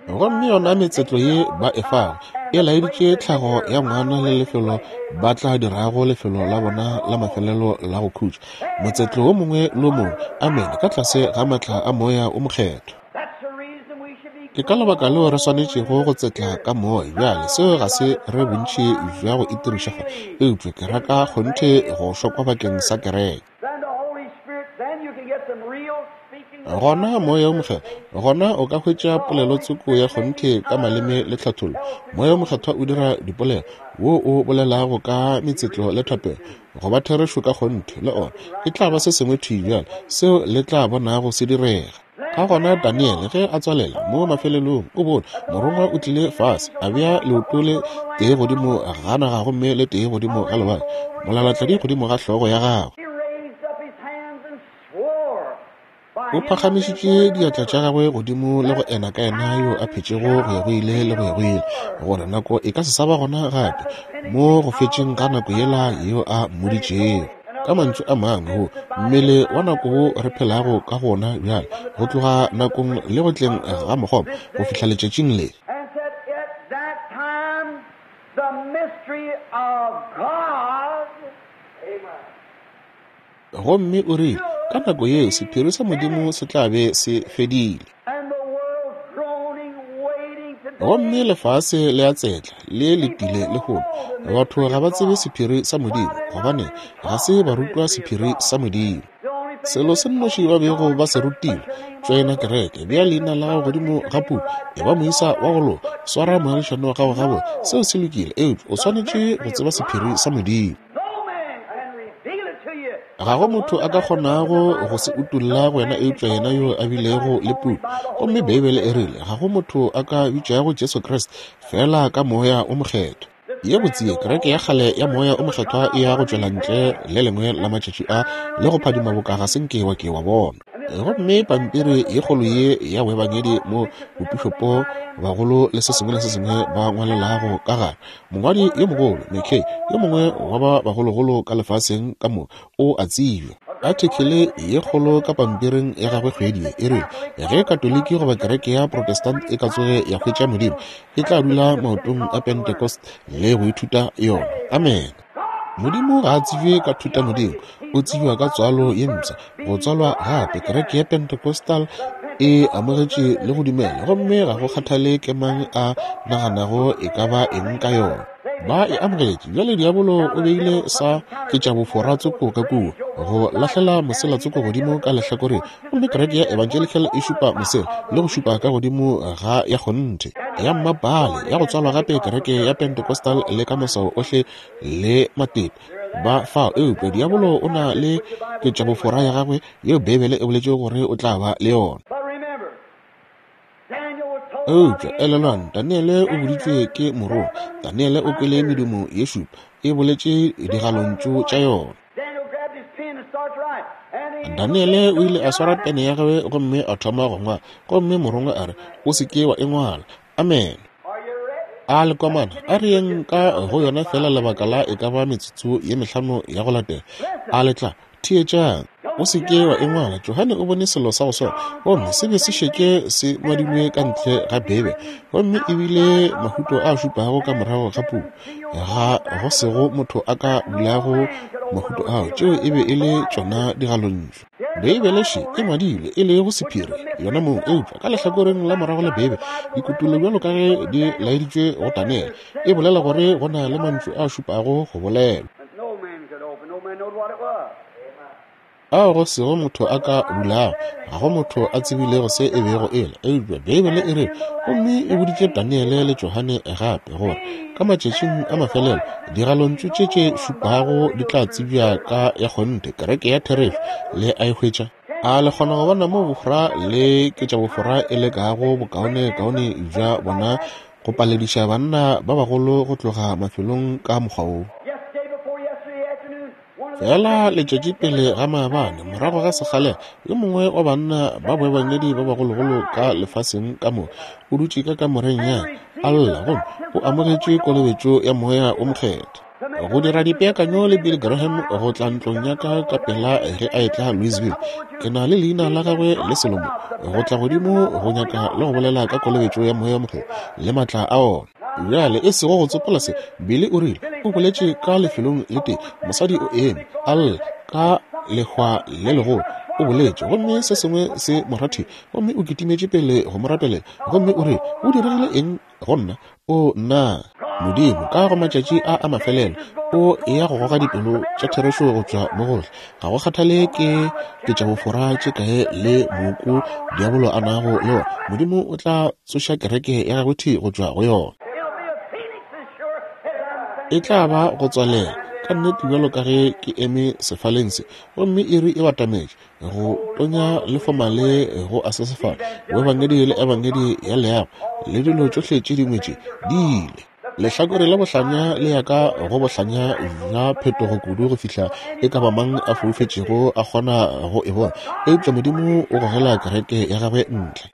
Gomme yona metsetlo ye ba e fago e laeditše tlhago ya ngwana le lefelo ba tla dirago lefelo la bona la mafelelo la go khutša. Motsetlo wo mongwe le mongwe, amene, ka tlase ga matla a Moya o Mokgethwa. Ke ka lebaka leo re swanetšego go tsetla ka moya. Bjale seo ga se re bontši bja go itiriša fa, eupša ke raka kgonthe go šokwa bakeng sa kereke. Gona Moya o Mokgethwa, gona o ka hwetša polelo tsoko ya kgonthe ka maleme le tlhathollo. Moya o Mokgethwa o dira dipolelo, wo o bolelago ka metsetlo le thapelo, go ba therešo ka kgonthe le ona. E tla ba se sengwe thwi bjale seo le tla bonago se direga. Ka gona Daniele ge a tswalela mo mafelelong, o bone morongwa o tlile fase, a bea leoto le tee godimo ga naga gomme le tee godimo ga lewatle, molalatladi godimo ga hlogo ya gagwe. O phagamišitše diatla tša gagwe godimo le go ena ka yena yo a phetšego go ya go ile le go ya go ile, gore nako e ka se sa ba gona gape mo go fetšeng ga nako yela yeo a mmoditšego. Ka mantšu a mangwe, go mmele wa nako wo re phelago ka gona bjale, go tloga nakong le go tleng ga mokgopa go fihla letšatšing le. Gomme o rile, ka nako yeo sephiri sa Modimo se tla be se fedile. Gomme lefase le a tsetla le letile lehono. Batho ga ba tsebe sephiri sa Modimo, gobane ga se ba rutwa sephiri sa Modimo. Selo se nnoši ba bego ba se rutile, tšoena kereke, bea leina la gago godimo ga puku, e ba moisa wa go loka, swara moagišane wa gago gabotse, seo se lokile, eupša o swanetše go tseba sephiri sa Modimo. Ga go motho a ka kgonago go se utolla go wena eupša yena yo a bilego le puku. Gomme Beibele e rile ga go motho a ka bitšago Jesu Kriste fela ka Moya o Mokgethwa. Ye botse kereke ya kgale ya Moya o Mokgethwa e ya go tšwela ntle le lengwe la matšatši a le go phadima boka ga se nke wa ke wa bona. Gomme pampiri ye kgolo ye ya boebangedi mo bopišopo bagolo le se sengwe le se sengwe ba ngwalelago ka gare, mongwadi yo mogolo McKay, yo mongwe wa ba bagologolo ka lefaseng ka moka, o a tsebja. Athikele ye kgolo ka pampiring ya gagwe kgwedi ye e rile ge Katoliki goba kereke ya Protestant e ka tsoge ya hwetša Modimo, e tla dula maotong a Pentecost le go ithuta yona. Amen. Modimo ga a tsebje ka thutamodimo, o tsebja ka tswalo ye mpsha, go tswalwa gape. Kereke ya Pentecostal e amogetše le go dumela, gomme ga go kgathale ke mang a naganago e ka ba eng ka yona. Ba e amogetše. Bjale diabolo o beile sa ketšabofora tsoko ka kua, go lahlela mosela tsoko godimo ka lehlakoreng, gomme kereke ya Evangelical e šupa mosela le go šupa ka godimo ga ya kgonthe ya mmapale ya go tswalwa gape kereke ya Pentecostal le ka maswao ohle le matepe ba fao. Eupša diabolo o na le ketšabofora ya gagwe yeo Beibele e boletšego gore o tla ba le yona. Eupša elelwang, Daniele o boditšwe ke morongwa. Daniele o kwele medumo ye šupa e boletše digalontšu tša yona. Daniele o ile a swara pene ya gagwe gomme a thoma go ngwala, gomme morongwa a re, o se ke wa e ngwala. Amen. A le komana, a re yeng ka go yona fela lebaka la e ka ba metsotso ye mehlano ya go latela. A le tla theetšang. O se ke wa e ngwala. Johane o bone selo sa go swana, gomme se be se šetše se ngwadilwe ka ntle ga Beibele, gomme ebile mahuto a šupago ka morago ga puku, ga go sego motho a ka bulago mahuto ao. Tšeo e be e le tšona digalontšu. Beibele še e ngwadilwe e le go sephiri yona mong, eupša ka lehlakoreng la morago la Beibele dikutullo bjalo ka ge di laeditšwe go Daniele e bolela gore go na le mantšu a šupago go bolelwa. ao go sego motho a ka bulago. Ga go motho a tsebilego se e bego e le, eupša Beibele e rile, gomme e boditše Daniele le Johane gape, gore ka matšatšing a mafelelo digalontšu tše tše šupago di tla tsebja ka ya kgonthe, kereke ya therešo. Le a e hwetša? A le kgona go bona mo bofora le ke tša bofora e lekago bokaonekaone bja bona go palediša banna ba bagolo go tloga mafelong ka mokgwa wo? Fela letšatši pele ga maabane, morago ga sekgalela, yo mongwe wa banna ba boebangedi ba bagologolo ka lefaseng ka moka o dutše ka kamoreng ya a lla, gomme o amogetše kolobetšo ya Moya o Mokgethwa. Go dira dipeakanyo le Billy Graham go tla ntlong ya ka ka pela ge a etla Louisville. Ke na le leina la gagwe le selomo, go tla godimo go nyaka le go bolela ka kolobetšo ya Moya o Mokgethwa le maatla a ona. Bjale e sego go tsopola se, Billy o rile o boletše ka lefelong le tee, mosadi o eme a lla ka lehwa le legolo, o boletše gomme se sengwe se mo rathile, gomme o kitimetše pele go mo rapelela, gomme o rile o diregile eng go nna? O nna Modimo ka go matšatši a a mafelelo o ya go goga dipelo tša therešo go tšwa mo gohle. Ga go kgathale ke ke tša bofora tše kae le moku diabolo a nago le ona, Modimo o tla tsoša kereke ya gagwe thi go tšwa go yona. E tla ba go tswalela ka nnete bjalo ka ge ke eme sefaleng se, gomme iri e batametše go tonya le fomale go a sesefala, boebangedi le ebangedi ya leago le dilo tšohle tše dingwe tše di ile. Lehlakore la bohlanya le ya ka go bohlanya bja phetogo kudu go fihla e ka ba mang a foufetšego a kgona go e bona, eupša Modimo o gogela kereke ya gagwe ntle.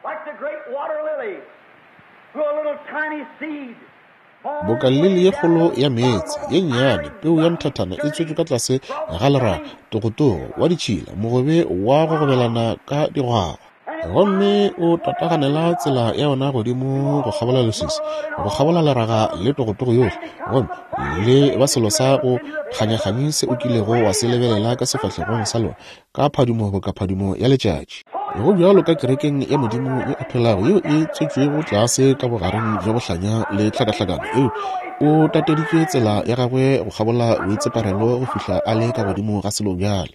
Boka lili ye kgolo ya meetse ye nnyane, peu ya nthathana e tswetšwe ka tlase ga leraga, togotogo wa ditšhila, mogobe wa go gobelana ka digwagwa, gomme o tataganela tsela ya yona godimo go kgabola leswiswi, go kgabola leraga le togotogo yohle, gomme le ba selo sa go kganyakganyi se o kilego wa se lebelela ka sefahlegong sa lona, ka phadimo boka phadimo ya letšatši. Go bjalo ka kerekeng ya Modimo yo a phelago yeo e tswetšwego tlase ka bogareng bja bohlanya le tlhakahlakano, eo o tateditše tsela ya gagwe go kgabola boitseparelo go fihla a le ka godimo ga selo bjale,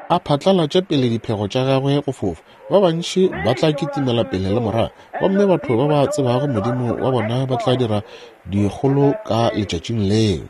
a phatlalatše pele diphego tša gagwe go fofa. Ba bantši ba tla kitimela pele le morago, gomme batho ba ba tsebago Modimo wa bona ba tla dira dikgolo ka letšatšing leo.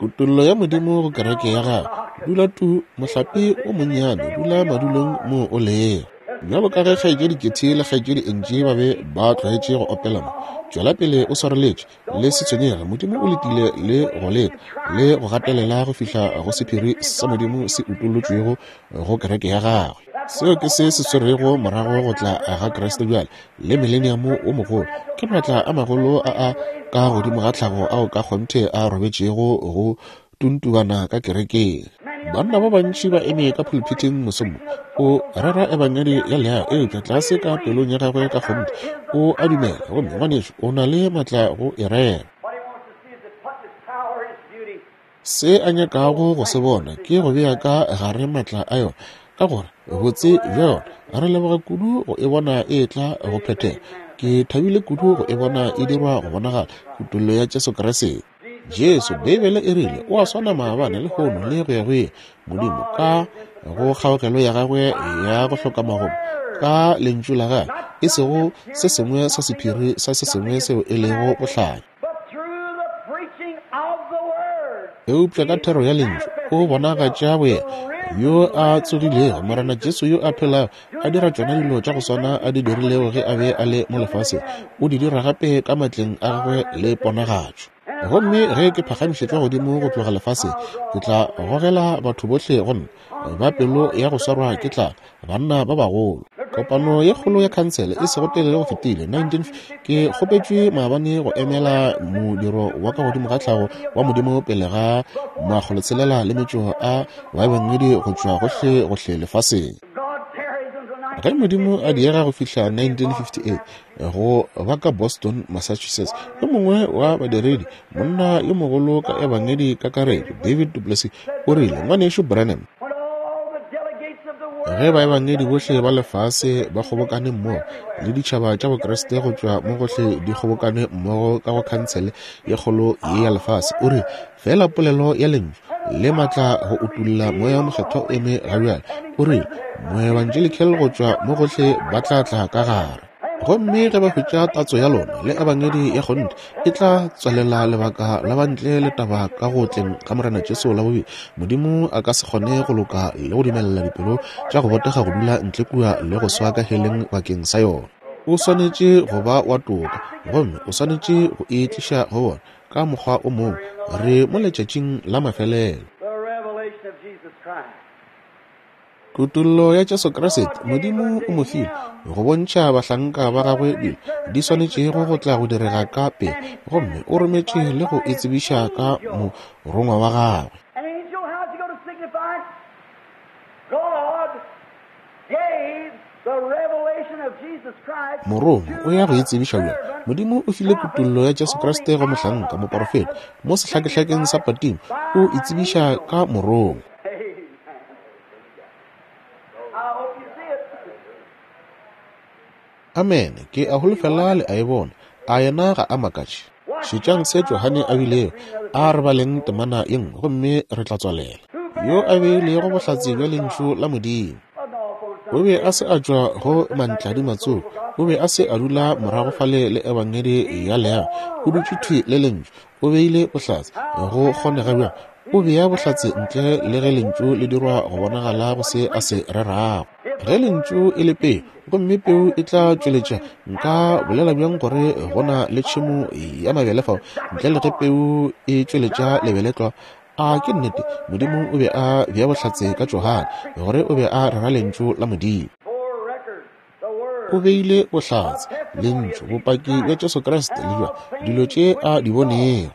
Kutollo ya Modimo go kereke ya gagwe. Dula tu mohlape o monnyane, dula madulong mo o lego. Bjalo ka ge kgaetšedi Ketty le kgaetšedi Angie ba be ba tlwaetše go opela mo, tšwela pele o swareletše, le se tshwenyege. Modimo o letile le go leta le go gatelela go fihla go sephiri sa Modimo se utolotšwego go kereke ya gagwe. Seo ke se se swerego morago go tla ga Kriste bjale le mileniamo o mogolo. Ke maatla a magolo a a ka godimo ga tlhago ao ka kgonthe a robetšego go tuntubana ka kerekeng. Banna ba bantši ba eme ka pulpiting mosong o rera ebangedi ya leago, eupša tlase ka pelong ya gagwe ka kgonthe o a dumela, gomme ngwanešu o na le maatla go e rera. Se a nyakago go se bona ke go bea ka gare maatla a yona, ka gore botse bja yona. Re leboga kudu go e bona e tla go phethega. Ke thabile kudu go e bona e dirwa go bonagala, kutollo ya Jesu Kriste. Jesu, Beibele e rile, o a swana maabane le lehono le go ya go ile. Modimo ka go kgaogelo ya gagwe ya go hloka magomo, ka lentšu la gagwe, e sego se sengwe sa sephiri sa se sengwe seo e lego bohlanya, eupša ka thero ya lentšu o bonagatša boyena yo a tsogilego, Morena Jesu yo a phelago, a dira tšona dilo tša go swana a di dirilego ge a be a le mo lefaseng, o di dira gape ka matleng a gagwe le ponagatšo. Gomme ge ke phagamišetšwa godimo go tloga lefaseng, ke tla gogela batho bohle go nna, ba pelo ya go swarwa ke tlala, banna ba bagolo. Kopano ye kgolo ya khansele e sego telele go fetile nineteen ke kgopetšwe maabane go emela modiro wa ka godimo ga tlhago wa Modimo pele ga makgolotshelela le metšo a baebangedi go tšwa gohle gohle lefaseng. Ge Modimo a diega go fihla nineteen fifty-eight go ba ka Boston, Massachusetts, yo mongwe wa badiredi, monna yo mogolo ka ebangedi kakaretšo, David Duplessis, o rile, ngwanešu Branham, Ge baebangedi bohle ba lefase ba kgobokane mmogo le ditšhaba tša Bokriste go tšwa mo gohle di kgobokane mmogo ka go khansele ye kgolo ye ya lefase, o re fela polelo ya lentšu le matla go utulla Moya wo Mokgethwa o eme ga bjale. O re moevangelical go tšwa mo gohle ba tla tla ka gare. Gomme ge ba hwetša tatso ya lona le ebangedi ya kgonthe, e tla tswalela lebaka la bantle le taba ka go tleng ga Morena Jesu la bobedi. Modimo a ka se kgone go loka le go dumelela dipelo tša go botega go dula ntle kua le go swa ka heleng bakeng sa yona. O swanetše go ba wa toka, gomme o swanetše go e tliša go bona ka mokgwa o mongwe. Re mo letšatšing la mafelelo. Kutollo ya Jesu Kriste, Modimo o mo file go bontšha bahlanka ba gagwe dilo di swanetšego go tla go direga ka pele, gomme o rometše le go e tsebiša ka morongwa wa gagwe. Morongwa o ya go e tsebiša bjang? Modimo o file kutollo ya Jesu Kriste go mohlanka moporofeta mo sehlakehlakeng sa Patimo, o e tsebiša ka morongwa. Amen. Ke a holofela le a e bona. A yena ga a makatše? Šetšang se Johane a bilego. A re baleng temana ye nngwe gomme re tla tswalela. Yo a beilego bohlatse bja lentšu la Modimo. O be a se a tšwa go mantladi matsogo. O be a se a dula morago fale le ebangedi ya leago. O dutše thwi le lentšu. O beile bohlatse. Go kgonega bjang? O bea bohlatse ntle le ge lentšu le dirwa go bonagala go se a se rerago. Ge lentšu e le peu, gomme peu e tla tšweletša, nka bolela bjang gore go na le tšhemo ya mabele fao ntle le ge peu e tšweletša lebeletlwa? A ke nnete, Modimo o be a bea bohlatse ka Johane gore o be a rera lentšu la Modimo. O beile bohlatse, lentšu, bopaki bja Jesu Kriste le bja dilo tše a di bonego.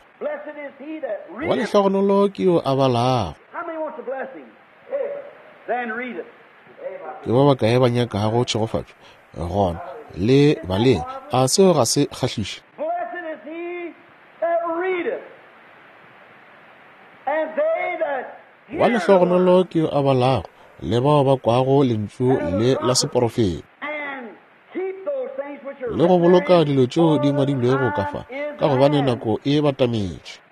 Wa lehlogonolo ke yo a balago. Ke ba bakae ba nyakago tšhegofatšo? Gona le baleng. A seo ga se kgahliše? Wa lehlogonolo ke yo a balago le bao ba kwago lentšu le la seporofeta le go boloka dilo tšeo di ngwadilwego ka fa, ka gobane nako e batametše.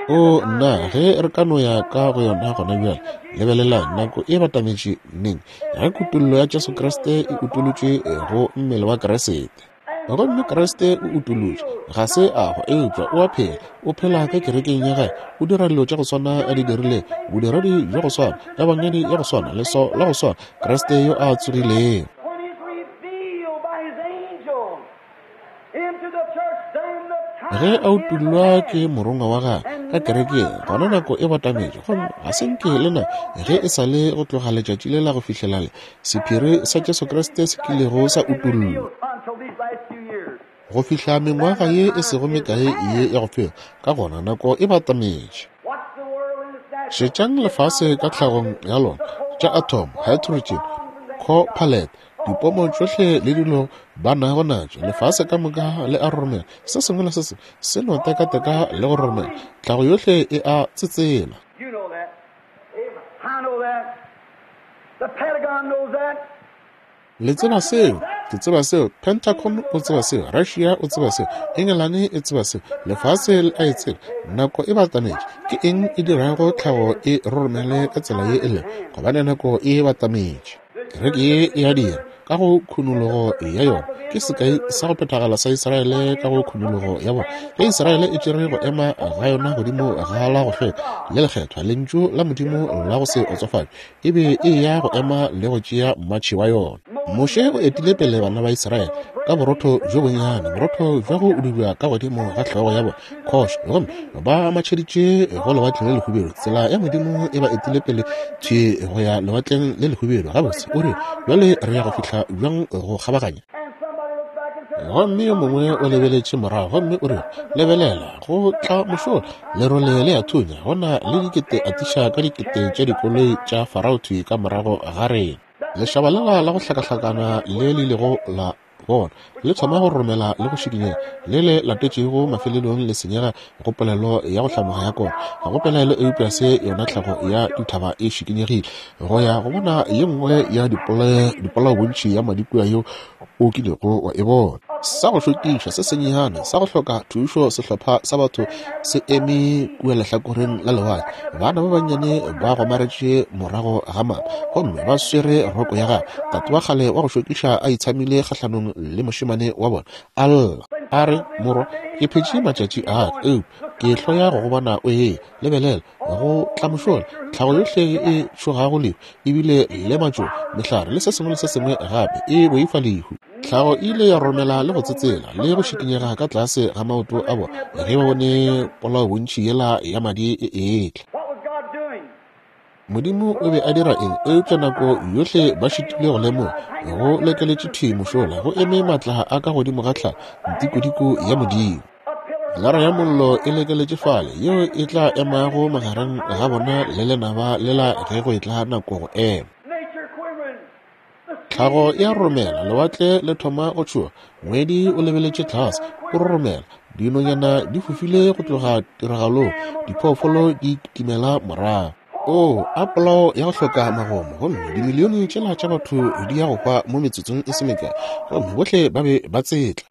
O nna, ge re ka no ya ka go yona gona bjale. Lebelelang, nako e batametše neng? Ge kutollo ya Jesu Kriste e utolotšwe go mmele wa Kriste. Gomme Kriste o utolotšwe, ga se a hwa, eupša o a phela, o phela ka kerekeng ya gagwe, o dira dilo tša go swana a di dirilego, bodiredi bja go swana, ebangedi ya go swana, leswao la go swana, Kriste yo a tsogilego. Ge a utollwa ke morongwa wa gagwe ka kerekeng, gona nako e batametše, gomme ga se nke le na ge e sa le go tloga letšatši le la go fihlela le sephiri sa Jesu Kriste se kilego sa utollwa go fihla mengwaga ye e sego mekae ye ya go fela. Ka gona nako e batametše. Šetšang lefase ka tlhagong ya lona, tša atom, hydrogen, copalate, dipomo tšohle le dilo ba nago natšo. Lefase ka moka le a roromela, se sengwe le se sengwe se no tekateka le go roromela. Tlhago yohle e a tsetsela. Le tseba seo, ke tseba seo, Pentagon o tseba seo, Russia o tseba seo, Engelane e tseba seo, lefase le a e tseba. Nako e batametše. Ke eng e dirago tlhago e roromele ka tsela ye e lego? Gobane nako e batametše. Kereke ye e a dira ka go khunologo ya yona. Ke sekai sa go phethagala sa Israele ka go khunologo ya bona. Ge Israele e tšere go ema ga yona godimo ga la go hlweka le lekgethwa, lentšu la Modimo la go se otsofatšwe, e be e ya go ema le go tšea mmatšhi wa yona. Moshe o etile pele bana ba Israele ka borotho bjo bonnyane, borotho bja go dubja ka godimo ga hlogo ya bona khoše, gomme ba matšheditše go lewatleng le lehubedu. Tsela ya Modimo e ba etile pele thwi go ya lewatleng le lehubedu. Gabotse o re, bjale re ya go fihla bjang go kgabaganya? Gomme yo mongwe o lebeletše morago gomme o re, lebelela, go tla mošola, lerole le a thunya, go na le dikete atiša ka dikete tša dikoloi tša Farao thwi ka morago ga rena. Lešaba lela la go hlakahlakana le le ilego la Bona, le thoma go romela le go šikinyega, le le latetšego mafelelong le senyega go polelo ya go hlamoga ya kona. Ga go pelaelo eupša se yona tlhago ya dithaba e šikinyegile go ya go bona ye nngwe ya dipolaobontši ya madi kua yeo o kilego wa e bona. Sa go šokiša se senyenyane sa go hloka thušo sehlopha sa batho se eme kua lehlakoreng la lewatle. Bana ba bannyane ba gomaretše morago ga mama gomme ba swere roko ya gagwe. Tate wa kgale wa go šokiša a itshamile kgahlanong le mošemane wa bona. A lla a re, morwa, ke phetše matšatši a ka, eupša ke hloya go go bona o e lebelela go tla mošola. Tlhago yohle e tšhogago lehu, ebile le matšoba, mehlare le se sengwe le se sengwe gape e boifa lehu. Tlhago e ile ya romela le go tsetsela le go šikinyega ka tlase ga maoto a bona ge ba bone polaobontši yela ya madi e etla. Modimo o be a dira eng? Eupša nako yohle ba šitile go lemoga go lekeletše thwi mošola go eme matla a ka godimo ga tlhago, ntikodiko ya Modimo. Lara ya mollo e lekeletše fale yeo e tla emago magareng ga bona le lenaba lela ge go etla nako go ema. Tlhago ya romela, lewatle le thoma go tšhoga, ngwedi o lebeletše tlase, o roromela, dinonyana di fofile go tloga tiragalong, diphoofolo di kitimela morago. O, a polao ya go hloka magomo, gomme dimilione tšela tša batho di ya go hwa mo metsotsong e se mekae, gomme bohle ba be ba tsetla.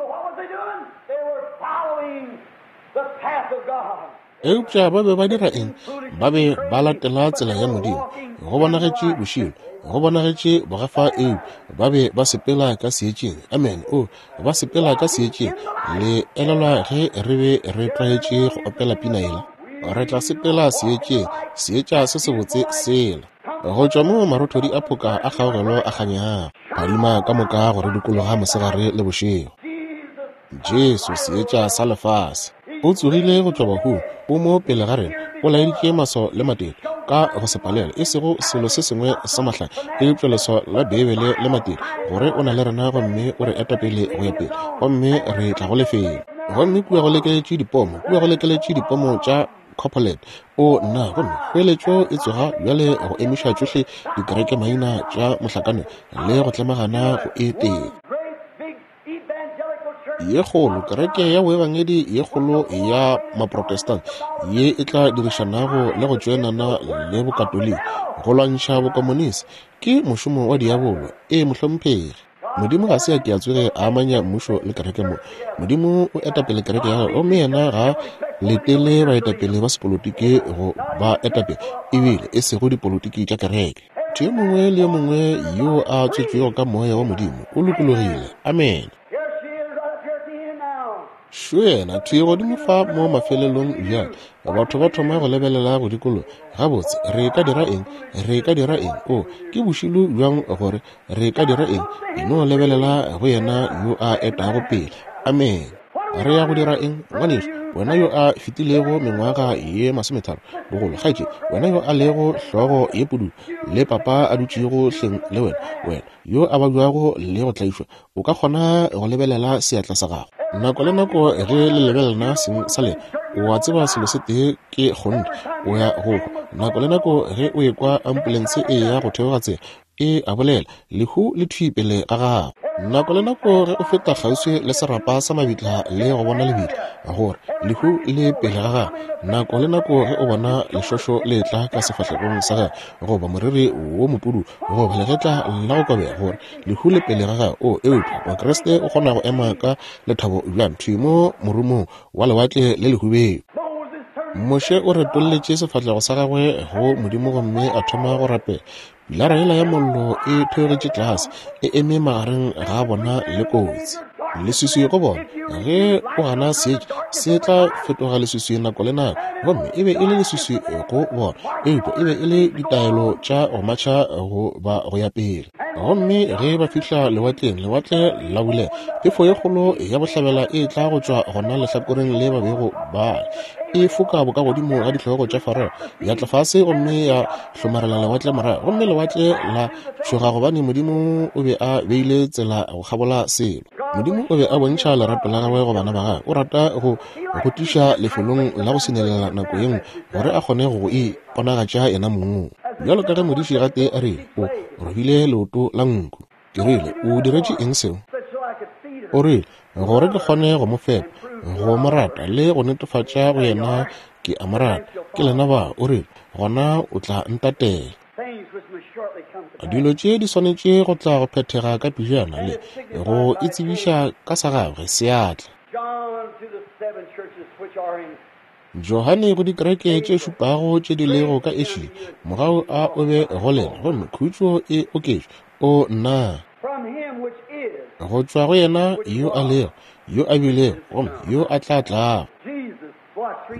Eupša ba be ba dira eng? Ba be ba latela tsela ya Modimo. Go bonagetše bošilo, go bonagetše bogafa, eupša ba be ba sepela ka seetšeng. Amen. O, ba sepela ka seetšeng. Le elelwa ge re be re tlwaetše go opela pina yela? Re tla sepela seetšeng, seetša se sebotse sela. Go tšwa mo marothodi a phoka a kgaogelo a kganyago, phadima ka moka go re dikologa mosegare le bošego. Jesu, seetša sa lefase, o tsogile go tšwa bahung, o mo pele ga rena, o laeditše maswao le matete ka go se palelwa, e sego selo se sengwe sa mahlale, eupša leswao la Beibele le matete, gore o na le rena gomme o re eta pele go ya pele, gomme re tla go lefelo. Gomme kua go lekeletše dipomo, kua go lekeletše dipomo tša Copperland. O nna, gomme kgoeletšo e tsoga bjale go emiša tšohle dikereke maina tša mohlakanelo le go tlemagana go e tee. Ye kgolo kereke ya boebangedi ye kgolo ya maprotestant ye e tla dirišanago le go tšoenana le bokatoliki go lwantšha bokomonisi ke mošomo wa diabolo. E mohlomphegi, Modimo ga se a ke a tsoge a amanya mmušo le kereke mo. Modimo o etapele kereke ya gagwe, gomme yena ga letele baetapele ba sepolotiki go ba etapele, ebile e sego dipolotiki tša kereke. Motho yo mongwe le yo mongwe yo a tswetšwego ka moya wa Modimo o lokologile. Amen. Šo yena thwi godimo fa mo mafelelong bjale. Batho ba thoma go lebelela go dikologa. Gabotse, re ka dira eng? Re ka dira eng? O, ke bošilo bjang gore re ka dira eng? E no lebelela go yena yo a etago pele. Amen. Re ya go dira eng, ngwanešu? Wena yo a fetilego mengwaga ye masometharo bogolo, kgaetšedi, wena yo a lego hlogo ye pudu le papa a dutšego hleng le wena, wena yo a babjago le go tlaišwa, o ka kgona go lebelela seatla sa gago. Nako le nako ge le lebelelana seng sa lena, o a tseba selo se tee ke kgonthe, o ya go hwa. Nako le nako ge o ekwa ambulense e ya go theoga tsela, e a bolela, lehu le thwi pele ga gago. Nako le nako ge o feta kgauswi le serapa sa mabitla le go bona lebitla, gore lehu le pele ga gago. Nako le nako ge o bona lešošo le tla ka sefahlegong sa gago, goba moriri wo mopudu, goba legetla la go kobega, gore lehu le pele ga gago. O, eupša Mokriste o kgona go ema ka lethabo bjang thwi mo morumong wa lewatle le lehubedu. Moshe o retolletše sefahlego sa gagwe go Modimo gomme a thoma go rapela. Pilara yela ya mollo e theogetše tlase, e eme magareng ga bona le kotsi. Leswiswi go bona, ge o gana seetša se tla fetoga leswiswi nako le nako, gomme e be e le leswiswi go bona, eupša e be e le ditaelo tša go matšha go ba go ya pele. Gomme ge ba fihla lewatleng, lewatle la bulega, phefo ye kgolo ya bohlabela e tla go tšwa gona lehlakoreng le ba bego ba e foka bokagodimo ga dihlogo tša Farao, ya tla fase gomme ya hlomarela lewatle morago, gomme lewatle la tšhoga gobane Modimo o be a beile tsela go kgabola selo. Modimo o be a bontšha lerato la gagwe go bana ba gagwe. O rata go go tliša lefelong la go senelela nako ye nngwe gore a kgone go iponagatša yena mong. Bjalo ka ge modiši gatee a rile, o robile leoto la nku. Ke rile, o diretše eng seo? O rile, gore ke kgone go mo fepa, go mo rata le go netefatša go yena ke a mo rata. Ke lena ba, o rile, gona o tla ntatela. Dilo tše di swanetše go tla go phethega ka pejana le go itsebiša ka sa gagwe seatla. Johane go dikereke tše šupago tše di lego ka Asia, mogau a o be go lena, gomme khutšo e oketšwe. O nna go tšwa go yena yo a lego, yo a bilego, gomme yo a tla tlago.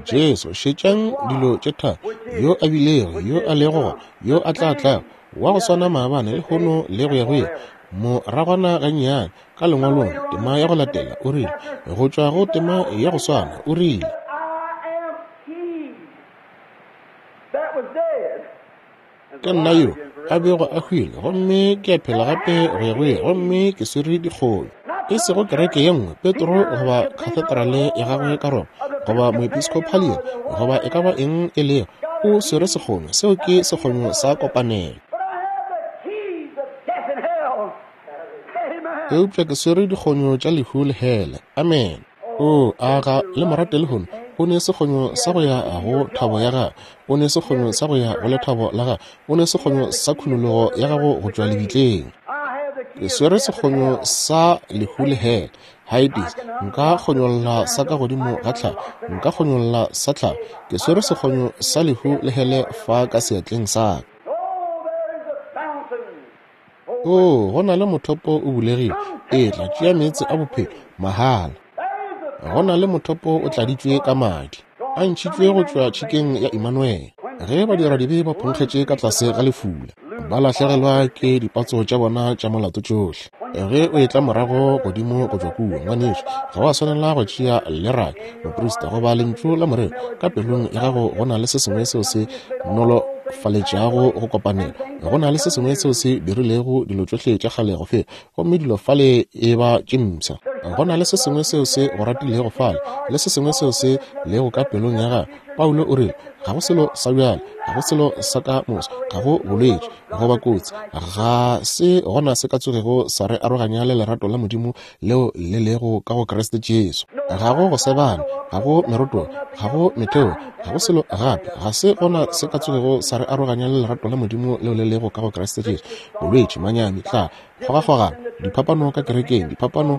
Jesu, šetšang dilo tše tharo, yo a bilego, yo a lego gona, yo a tla tlago, wa go swana maabane, lehono le go ya go ile. Moragwana gannyane ka lengwalong, tema ya go latela, o rile, go tšwa go tema ya go swana, o rile, ke nna yo a bego a hwile, gomme ke a phela gape go ya go ile, gomme ke swere dikgomo. E sego kereke ye nngwe, Petro goba kathedrale ya gagwe ka Roma, goba moepiskopalian, goba e ka ba eng e lego, o swere sekgomo. Seo ke sekgomo sa kopanelo. Eupša ke swere dikgonyo tša lehu le hele. Amen. O a ga le morate lehono. O ne sekgonyo sa go ya go thabo ya gago, o ne sekgonyo sa go ya go lethabo la gago, o ne sekgonyo sa khunologo ya gago go tšwa lebitleng. Ke swere sekgonyo sa lehu le hele. Hades, nka kgonyolla sa ka godimo ga tlhago, nka kgonyolla sa tlhago. Ke swere sekgonyo sa lehu le hele fa ka seatleng sa ka. O, go na le mothopo o bulegile, etla tšea meetse a bophelo mahala. Go na le mothopo o tladitšwe ka madi, a ntšhitšwe go tšwa tšhikeng ya Emmanuel. Ge badiradibe ba phonkgetše ka tlase ga lefula, ba lahlegelwa ke dipatso tša bona tša molato tšohle. Ge o etla morago godimo go tšwa kua, ngwanešu, ga wa swanela go tšea leraka, moprista, goba lentšu la morero. Ka pelong ya gago go na le se sengwe seo se nolofaletšago go kopanela. Go na le se sengwe seo se dirilego dilo tšohle tša kgale go fela, gomme dilo fale e ba tše mpsha. Go na le se sengwe seo se go ratilego fale, le se sengwe seo se lego ka pelong ya gago. Paulo o rile, ga go selo sa bjale, ga go selo sa ka moso, ga go bolwetši goba kotsi, ga se gona se ka tsogego sa re aroganya le lerato la Modimo leo le lego ka go Kriste Jesu. Ga go go sebana, ga go meroto, ga go metheo, ga go selo gape, ga se gona se ka tsogego sa re aroganya le lerato la Modimo leo le lego ka go Kriste Jesu. Bolwetši, manyami, tla kgogakgogano, diphapano ka kerekeng, diphapano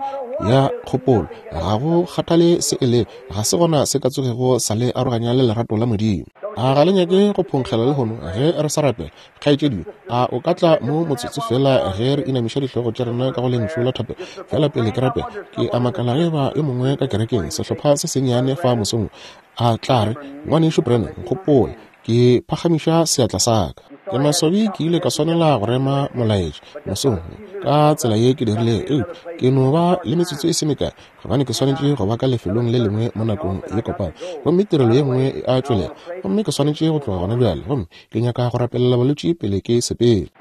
ya kgopolo, ga go kgathale se e lego, ga se gona se ka tsogego sa le aroganya le lerato la Modimo. A ga le nyake go phonkgela lehono ge re sa rapela? Kgaetšedi, a o ka tla mo motsotso fela ge re inamiša dihlogo tša rena ka go lentšu la thapelo? Fela pele ke rapela, ke a makala ge ba yo mongwe ka kerekeng, sehlopha se sennyane fa mosong, a tla re, ngwanešu Branham, nkgopola, ke phagamiša seatla sa ka. Ke maswabi ke ile ka swanela go rema molaetša mosong ka tsela ye ke dirilego, eupša ke no ba le metsotso e se mekae, gobane ke swanetše go ba ka lefelong le lengwe mo nakong ye kopana, gomme tirelo ye nngwe e a tšwelela, gomme ke swanetše go tloga gona bjale, gomme ke nyaka go rapelela balwetši pele ke sepele.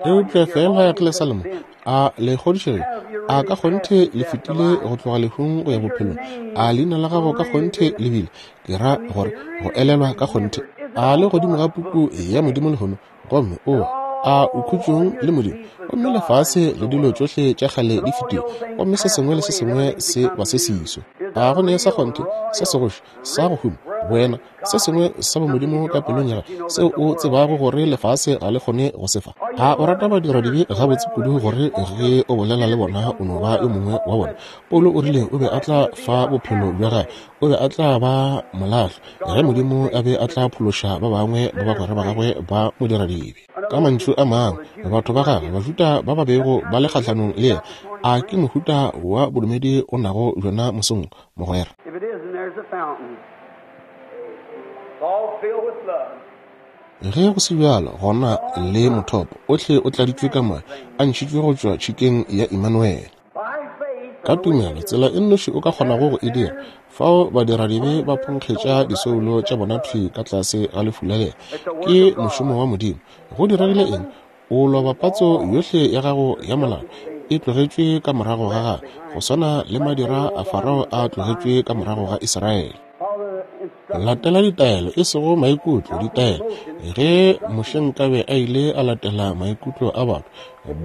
Eupša fela ge le sa le mo, a le kgodišegile? A ka kgonthe le fetile go tloga lehung go ya bophelong? A leina la gago ka kgonthe le bile, ke ra gore go elelwa ka kgonthe, a le godimo ga puku ya Modimo lehono? Gomme o a o khutšong le Modimo, gomme lefase le dilo tšohle tša kgale di fetile, gomme se sengwe le se sengwe se ba se siswe. A go ne sa kgonthe, sa segoši, sa go huma, wena, se sengwe sa bomodimo ka pelong ya gago seo o tsebago gore lefase ga le kgone go se fa? A o rata badiradibe gabotse kudu gore ge o bolela le bona o no ba yo mongwe wa bona? Paulo o rile o be a tla fa bophelo bja gagwe, o be a tla ba molahlo ge Modimo a be a tla phološa ba bangwe ba bagwera ba gagwe ba modiradibe. Ka mantšu a mangwe, batho ba gagwe, Bajuda ba ba bego ba le kgahlanong le yena, a ke mohuta wa bodumedi o nago bjona mosong, mogwera? Ge go se bjalo, gona le mothopo ohle o tladitšwe ka moya, a ntšhitšwe go tšwa tšhikeng ya Emmanuel. Ka tumelo, tsela e nnoši o ka kgonago go e dira, fao badiradibe ba phonkgetša disoulo tša bona thwi ka tlase ga lefula lela, ke mošomo wa Modimo. Go diregile eng? O loba patso yohle ya gago ya molao, e tlogetšwe ka morago ga gagwe, go swana le madira a Farao a tlogetšwe ka morago ga Israele. Latela ditaelo, e sego maikutlo, ditaelo. Ge Moshe nkabe a ile a latela maikutlo a batho,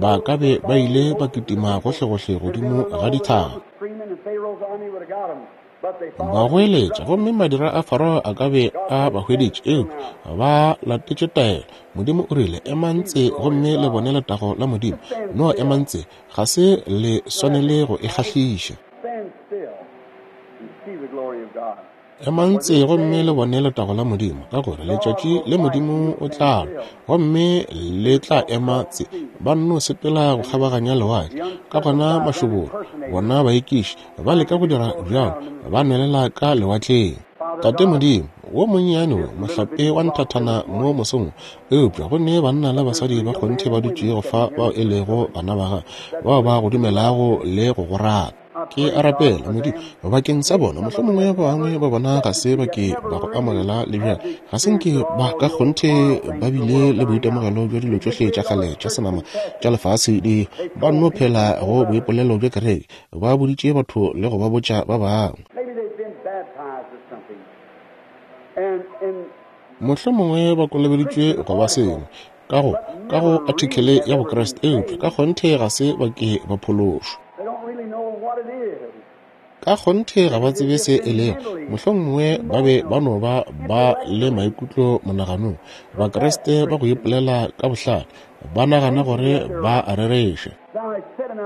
ba ka be ba ile ba kitima gohlegohle godimo ga dithaba. Ba goeletša, gomme madira a Farao a ka be a ba hweditše, eupša ba latetše taelo. Modimo o rile, emang tse gomme le bone letago la Modimo. No emang tse, ga se le swanele go e kgahliša. Emang tse gomme le bone letago la Modimo, ka gore letšatši le Modimo o tla lwa, gomme le tla ema tse. Ba nno sepela go kgabaganya lewatle, ka gona mašoboro, bona baekiši ba leka go dira bjalo, ba nwelela ka lewatleng. Tate Modimo, wo monnyane wo mohlape wa nthathana mo mosong, eupša go ne banna le basadi ba kgonthe ba dutšego fa bao e lego bana ba gago, bao ba go dumelago le go go rata. Ke a rapela, Modimo, bakeng sa bona. Mohlomongwe ba bangwe ba bona ga se ba ke ba go amogela le bjale, ga se nke ba ka kgonthe ba bile le boitemogelo bja dilo tšohle tša kgale tša senama tša lefase di ba nno phela go boipolelo bja kereke, ba boditše batho le go ba botša ba bangwe. Mohlomongwe ba kolobeditšwe go ba sengwe ka go ka go artikele ya Bokriste, eupša ka kgonthe ga se ba ke ba phološwa. Ka kgonthe ga ba tsebe se e lego. Mohlomongwe ba be ba no ba ba le maikutlo monaganong. Bakriste ba go ipolela ka bohlale ba nagana gore ba a rereša.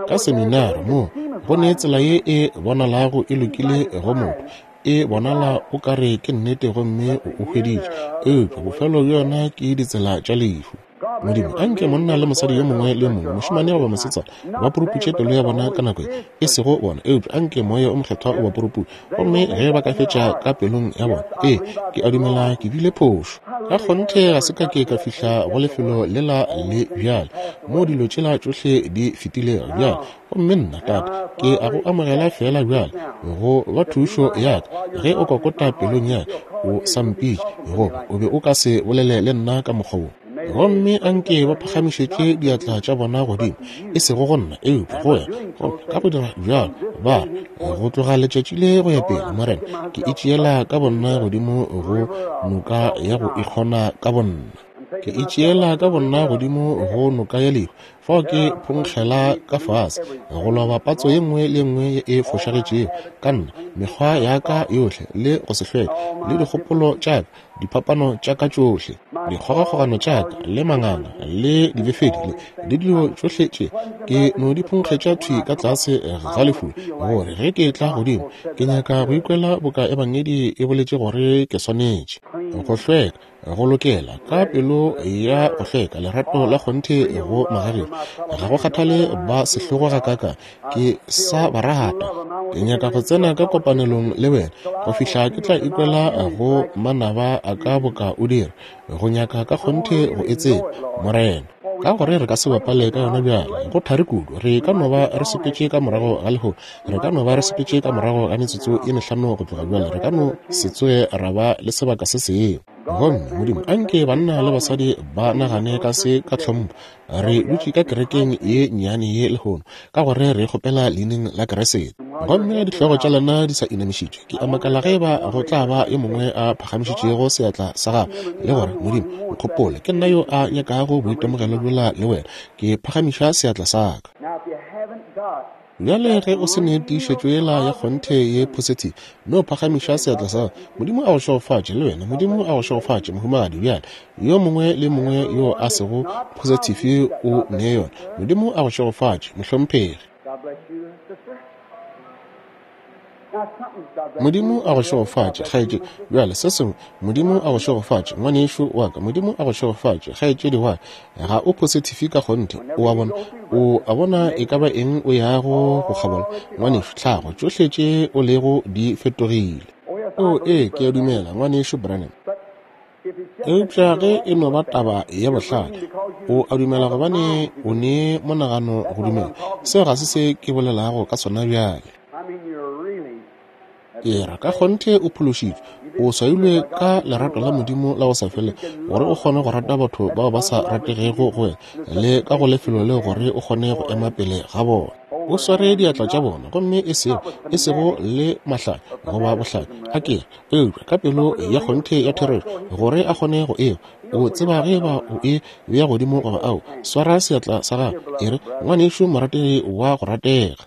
Ka seminare mo go ne tsela ye e bonalago e lokile go motho, e bonala o ka re ke nnete gomme o o hweditše, eupša bofelo bja yona ke ditsela tša lehu. Modimo, anke monna le mosadi yo mongwe le mongwe, mošemane goba mosetsana, ba puruputše pelo ya bona ka nako ye, e sego bona, eupša anke moya o mokgethwa o ba puruputše. Gomme ge ba ka fetša ka pelong ya bona, ee, ke a dumela ke bile phošo. Ka kgonthe ga se ka ke ka fihla go lefelo lela le bjale, mo dilo tšela tšohle di fetilego bjale. Gomme nna, Tate, ke a go amogela fela bjale go ba thušo ya ka. Ge o kokota pelong ya ka, o sa mpitše, goba o be o ka se bolele le nna ka mokgwa wo. Gomme anke ba phagamišetše diatla tša bona godimo, e sego go nna, eupša go wena. Gomme ka go dira bjalo ba re, go tloga letšatši le go ya pele, Morena, ke itšeela ka bonna godimo go noka ya go ikgona ka bonna. Ke itšeela ka bonna godimo go noka ya lehu, fao ke phonkgela ka fase, go loba patso ye nngwe le nngwe e fošagetšego ka nna, mekgwa ya ka yohle le go se hlweke, le dikgopolo tša ka, diphapano tša ka tšohle, dikgogakgogano tša ka, le manganga, le dibefedi, le le dilo tšohle tše, ke no di phonkgetša thwi ka tlase ga lefula, gore ge ke tla godimo, ke nyaka go ikwela boka Ebangedi e boletše gore ke swanetše go hlweka, go lokela ka pelo ya go hlweka, lerato la kgonthe go magagešo. Ga go kgathale ba sehlogo gakaka, ke sa ba rata. Ke nyaka go tsena ka kopanelong le wena go fihla ke tla ikwela go manaba a ka boka o dira. Go nyaka ka kgonthe go e tseba, Morena, ka gore re ka se bapale ka yona bjale. Go thari kudu. Re ka no ba re sepetše ka morago ga lehono, re ka no ba re sepetše ka morago ga metsotso ye mehlano go tloga bjale, re ka no se tsoge ra ba le sebaka se sengwe. Gomme Modimo, anke banna le basadi ba nagane ka se ka tlhompho. Re dutše ka kerekeng ye nnyane ye lehono, ka gore re kgopela leineng la Keresete. Gomme dihlogo tša lena di sa inamišitšwe, ke a makala ge ba go tla ba yo mongwe a phagamišitšego seatla sa gagwe le gore, Modimo, nkgopole, ke nna yo a nyakago boitemogelo bjola le wena, ke phagamiša seatla sa ka. Bjale ge o se ne tiišetšo yela ya kgonthe ye positive, no phagamiša seatla sa gago. Modimo a go šegofatše le wena. Modimo a go šegofatše, mohumagadi. Bjale yo mongwe le mongwe yo a sego positive o ne yona. Modimo a go šegofatše, mohlomphegi. Modimo a go šegofatše, kgaetšedi. Bjale se sengwe, Modimo a go šegofatše, ngwanešu wa ka. Modimo a go šegofatše, kgaetšedi wa ka. Ga o positive ka kgonthe, o a bona. O a bona e ka ba eng o yago go kgabola, ngwanešu, tlhago, tšohle tše o lego di fetogile. O ee, ke a dumela, ngwanešu Branham. Eupša ge e no ba taba ya bohlale, o a dumela gobane o ne monagano go dumela. Seo ga se se ke bolelago ka sona bjale. Ke ra ka kgonthe o phološitšwe, o swailwe ka lerato la Modimo la go sa fele, gore o kgone go rata batho bao ba sa rategego go wena, le ka go lefelo leo gore o kgone go ema pele ga bona. O sware diatla tša bona, gomme e sego e sego le mahlale goba bohlale, a ke re, eupša ka pelo ya kgonthe ya therešo, gore a kgone go ewa. O tseba ge ba o e bea godimo goba ao, swara seatla sa gago, e re, ngwanešu morategi wa go ratega.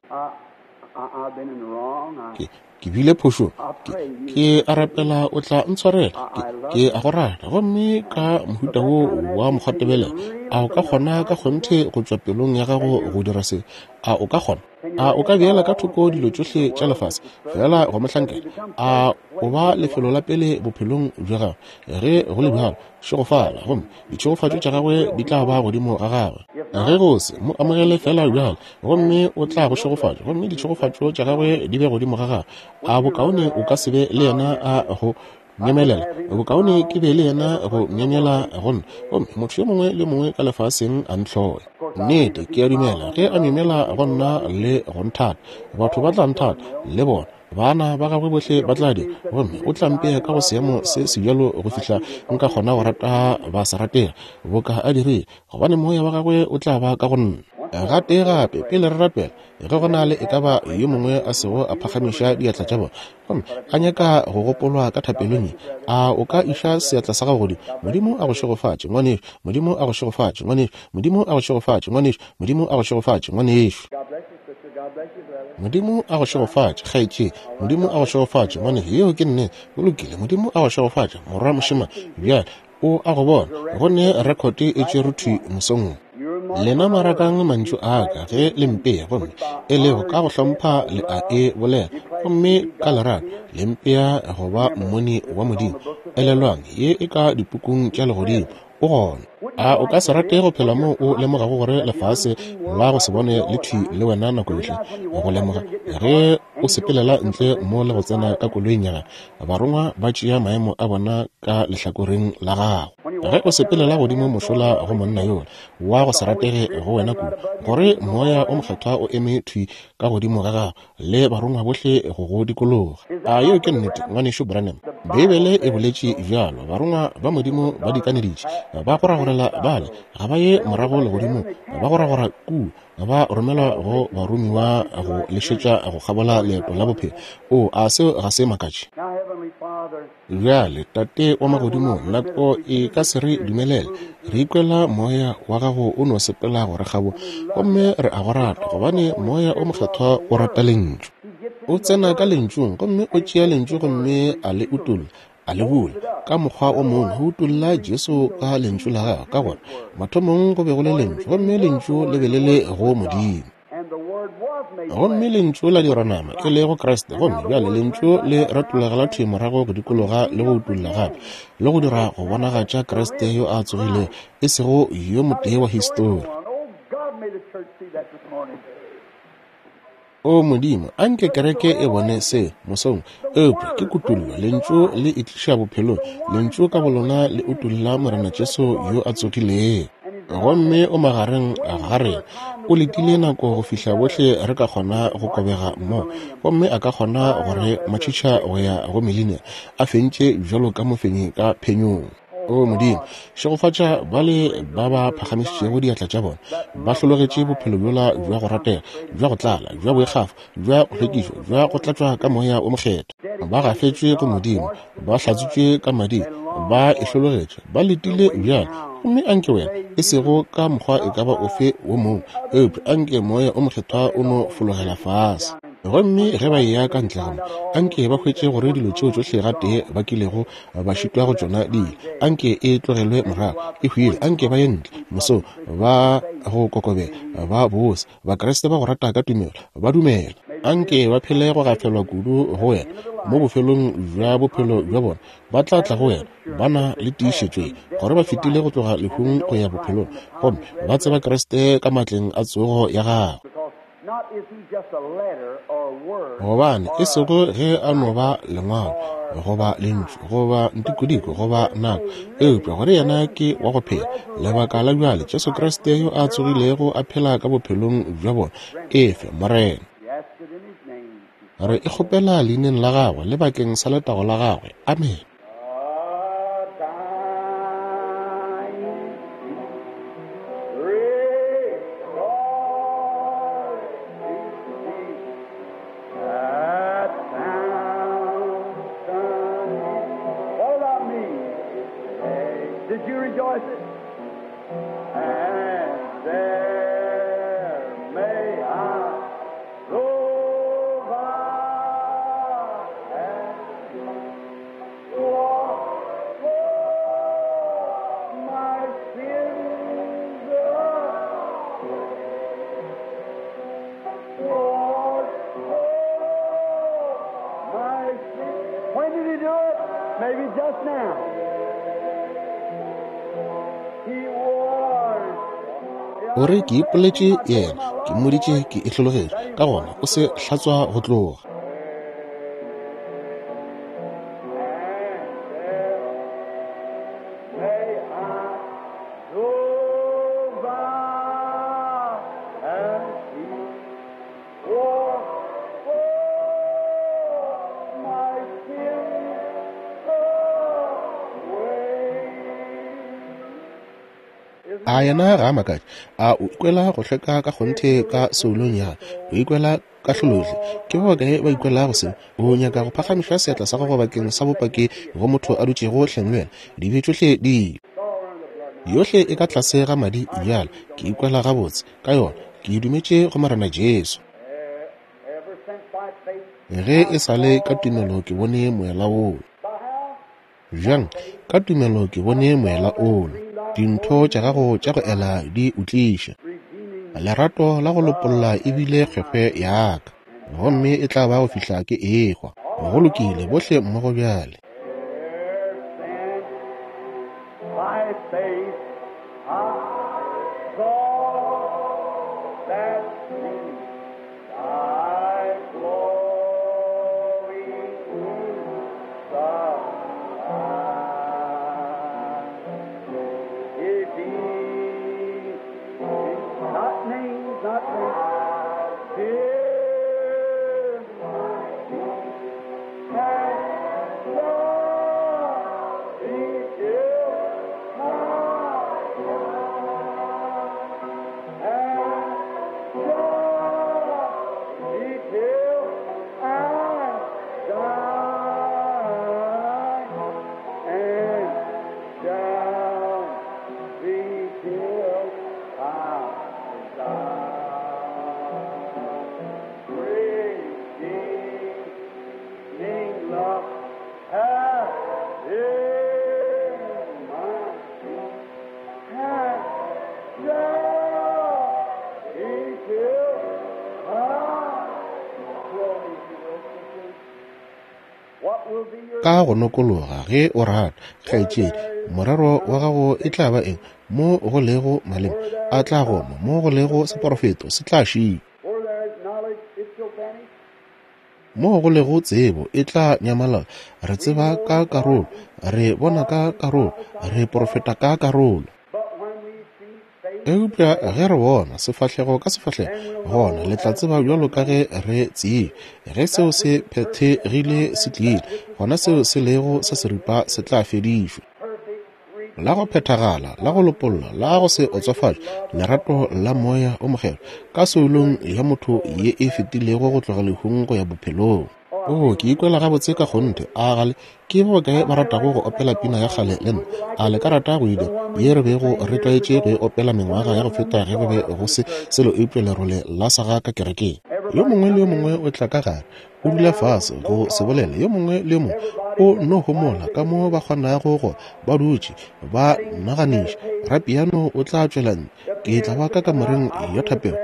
Ke, ke bile phošong. Ke, ke a rapela o tla ntshwarela. Ke, ke a go rata. Gomme ka mohuta wo wa mokgwatebelelo, a o ka kgona ka kgonthe go tšwa pelong ya gago go dira se? A o ka kgona? A o ka beela ka thoko dilo tšohle tša lefase fela go mo hlankela? A o ba lefelo la pele bophelong bja gagwe? Ge go le bjalo, šegofala, gomme ditšhegofatšo tša gagwe di tla ba godimo ga gagwe. Ge go se mo amogele fela bjalo, gomme o tla go šegofatša, gomme ditšhegofatšo tša gagwe di be godimo ga gagwe. A bokaone o ka se be le yena a go nyemelela? Bokaone ke be le yena go myemyela go nna, gomme motho yo mongwe le mongwe ka lefaseng a ntlhoe. Nnete, ke a dumela ge a myemyela go nna le go nthata, batho ba tla nthata le bona. Bana ba gagwe bohle ba tla dira, gomme o tla mpea ka go seemo se sebjalo go fihla nka kgona go rata ba sa ratega boka a dirile, gobane moya wa gagwe o tla ba ka go nna. Gatee gape pele re rapela, ge go na le e ka ba yo mongwe a sego a phagamiša diatla tša bona gomme a nyaka go gopolwa ka thapelong ye, a o ka iša seatla sa gago godimo? Modimo a go šegofatše, ngwanešu. Modimo a go šegofatše, ngwanešu. Modimo a go šegofatše, ngwanešu. Modimo a go šegofatše, ngwanešu. Modimo a go šegofatše, kgaetšedi. Modimo a go šegofatše, ngwanešu. Yeo ke nnete. Go lokile. Modimo a go šegofatše, morwa mošemane. Bjale o a go bona, go ne rekhote e tšerwe thwi mosong wo. Lena marakang mantšu a ka ge le mpea, gomme e lego ka go hlompha le a e bolela, gomme ka lerato le mpea go ba mmoni wa Modimo. Elelwang, ye e ka dipukung tša legodimo, o gona. A o ka se rate go phela moo o lemogago gore lefase la go se bone le thwi le wena nako yohle? Go lemoga ge o sepelela ntle mo le go tsena ka koloing ya gago, barongwa ba tšea maemo a bona ka lehlakoreng la gago. Ge o sepelela godimo mošola go monna yola wa go se ratege go wena kudu, gore moya o mokgethwa o eme thwi ka godimo ga gago le barongwa bohle go go dikologa. A yeo ke nnete, ngwanešu Branham? Beibele e boletše bjalo. Barongwa ba Modimo ba dikaneditše, ba goragorela bale, ga ba ye morago legodimong, ba goragora kua, ba romelwa go baromiwa go lešetša go kgabola leeto la bophelo. O a seo ga se makatše? Bjale, Tate wa magodimong, nako e ka se re dumelele. Re ikwela moya wa gago o no sepela go re kgabo, gomme re a go rata, gobane moya o mokgethwa o rata lentšu. O tsena ka lentšung, gomme o tšea lentšu gomme a le utolla, a le bula ka mokgwa o mongwe, go utolla Jesu ka lentšu la gagwe. Ka gore mathomong go be go le lentšu, gomme lentšu le be le le go Modimo, gomme lentšu la dirwa nama, e lego Kriste. Gomme bjale lentšu le retologela thwi morago go dikologa le go utolla gape le go dira go bonagatša Kriste yo a tsogilego, e sego yo motee wa histori. O Modimo, anke kereke e bone se mosong. Eupša ke kutollo, lentšu le e tliša bophelong. Lentšu ka bolona le utolla Morena Jesu yo a tsogilego, gomme o magareng ga rena. O letile nako go fihla bohle re ka kgona go kobega mmogo, gomme a ka kgona go re matšhitšha go ya go milenia, a fentše bjalo ka mofenyi ka phenyong. O Modimo, šegofatša bale ba ba phagamišitšego diatla tša bona, ba hlologetše bophelo bjola bja go ratega, bja go tlala, bja boikgafo, bja go hlwekišwa, bja go tlatšwa ka moya o mokgethwa. Ba gafetšwe go Modimo, ba hlatswitšwe ka madi, ba e hlologetše, ba letile bjalo. Gomme anke wena, e sego ka mokgwa e ka ba ofe wo mongwe, eupša anke moya o mokgethwa o no fologela fase. Gomme ge ba eya ka ntle gamo, anke ba hwetše gore dilo tšeo tšohle gatee ba kilego ba šitwa go tšona di ile, anke e tlogelwe morago, e hwile. Anke ba ye ntle mosong ba go kokobela, ba bose, Bakriste ba go rata ka tumelo, ba dumela. Anke ba phele go gafelwa kudu go wena mo bofelong bja bophelo bja bona, ba tla tla go wena ba na le tiišetšo ye gore ba fetile go tloga lehung go ya bophelong, gomme ba tseba Kriste ka matleng a tsogo ya gagwe. Gobane e sego ge a no ba lengwalo goba lentšu goba ntikodiko goba nako, eupša gore yena ke wa go phela lebaka la bjale, Jesu Kriste yo a tsogilego a phela ka bophelong bja bona. Efe, Morena, re e kgopela leineng la gagwe le bakeng sa letago la gagwe. Amen. And there may I provide. Just now. He warned. O re ke ipoletše yena, ke mmoditše ke e hlologetše, ka gona o se hlatswa go tloga. And there may I go by and see for for my sins away. A yena ga a makatše? A o ikwela go hlweka ka kgonthe ka soulong ya gago? O ikwela kahlolohle? Ke ba bakae ba ikwelago seo? O nyaka go phagamiša seatla sa gago bakeng sa bopaki go motho a dutšego hleng le wena? Dibe tšohle di ile. Yohle e ka tlase ga madi bjale. Ke ikwela gabotse ka yona. Ke e dumetše go Morena Jesu. Ever since by faith, Ge e sa le ka tumelo ke bone moela wola. by how? Bjang? Ka tumelo ke bone moela wola. Dintho tša gago tša go ela di o tliša. Redeeming Lerato la go lopolla e bile kgwekgwe ya ka, gomme e tla ba go fihla ke ehwa. Go lokile, bohle mmogo bjale. ever since by faith I saw that sea, thy glory in the light. It be not names, not names, dear my Redeeming love hath in my hath shall be till I glory to you, sisters. What will be your Ka go nokologa ge o rata, kgaetšedi, morero wa gago e tla ba eng? Mo go lego maleme a tla goma, mo go lego seporofeto se tla šitwa, where there is knowledge it shall vanish? mo go lego tsebo e tla nyamalala. Re tseba ka karolo, re bona ka karolo, re porofeta ka karolo. But when we see face to Eupša ge re bona sefahlego ka sefahlego, gona le tla tseba bjalo ka ge re tsebile. Ge seo se phethegile se tlile, gona seo se lego sa seripa se tla fedišwa. perfect La go phethagala, la go lopolla, la go se otsofatše, lerato la moya o mokgethwa ka soulong ya motho ye e fetilego go tloga lehung go ya bophelong. O, ke ikwela gabotse ka kgonthe. A gale ke ba bakae ba ratago go opela pina ya kgale le nna? A le ka rata go e dira? Ye re bego re tlwaetše go e opela mengwaga ya go feta ge go be go se selo eupša lerole la saga ka kerekeng. Yo mongwe le yo mongwe o tla ka gare, o dula fase go se bolele. Yo mongwe le yo mongwe o no homola ka mo ba kgonago go ba dutše ba naganiša. Rapiano o tla tšwela ntle. Ke tla ba ka kamoreng ya thapelo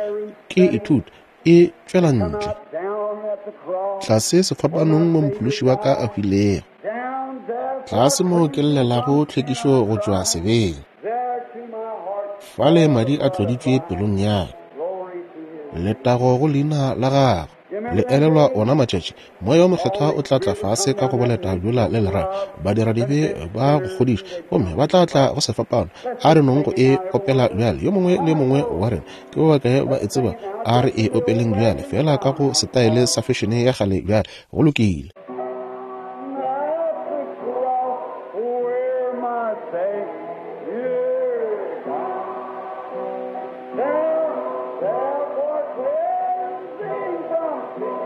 ke ithuta e tšwela ntle. down at the cross, Tlase sefapanong mo mophološi wa ka a hwilego. down there, Tlase mo ke llelago tlhwekišo go tšwa sebeng. there to my heart, Fale madi a tloditšwe pelong ya ka. glory to His. Letago go leina la gagwe. Le elelwa ona matšatši, moya o mokgethwa o tla tla fase ka go boleta bjola le lerato. Badiradibe ba go kgodiša, gomme ba tla tla go sefapano. A re nong go e opela bjale. Yo mongwe le yo mongwe wa rena, ke ba bakae ba e tseba? A re e opeleng bjale, fela ka go setaele sa fešene ya kgale bjale. Go lokile. At the cross where my Savior died, there, there for cleansing from sin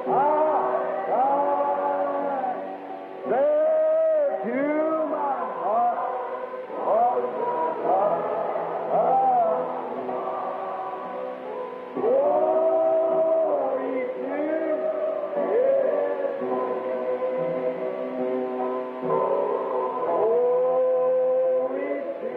I died. There to my heart was glory to His Glory to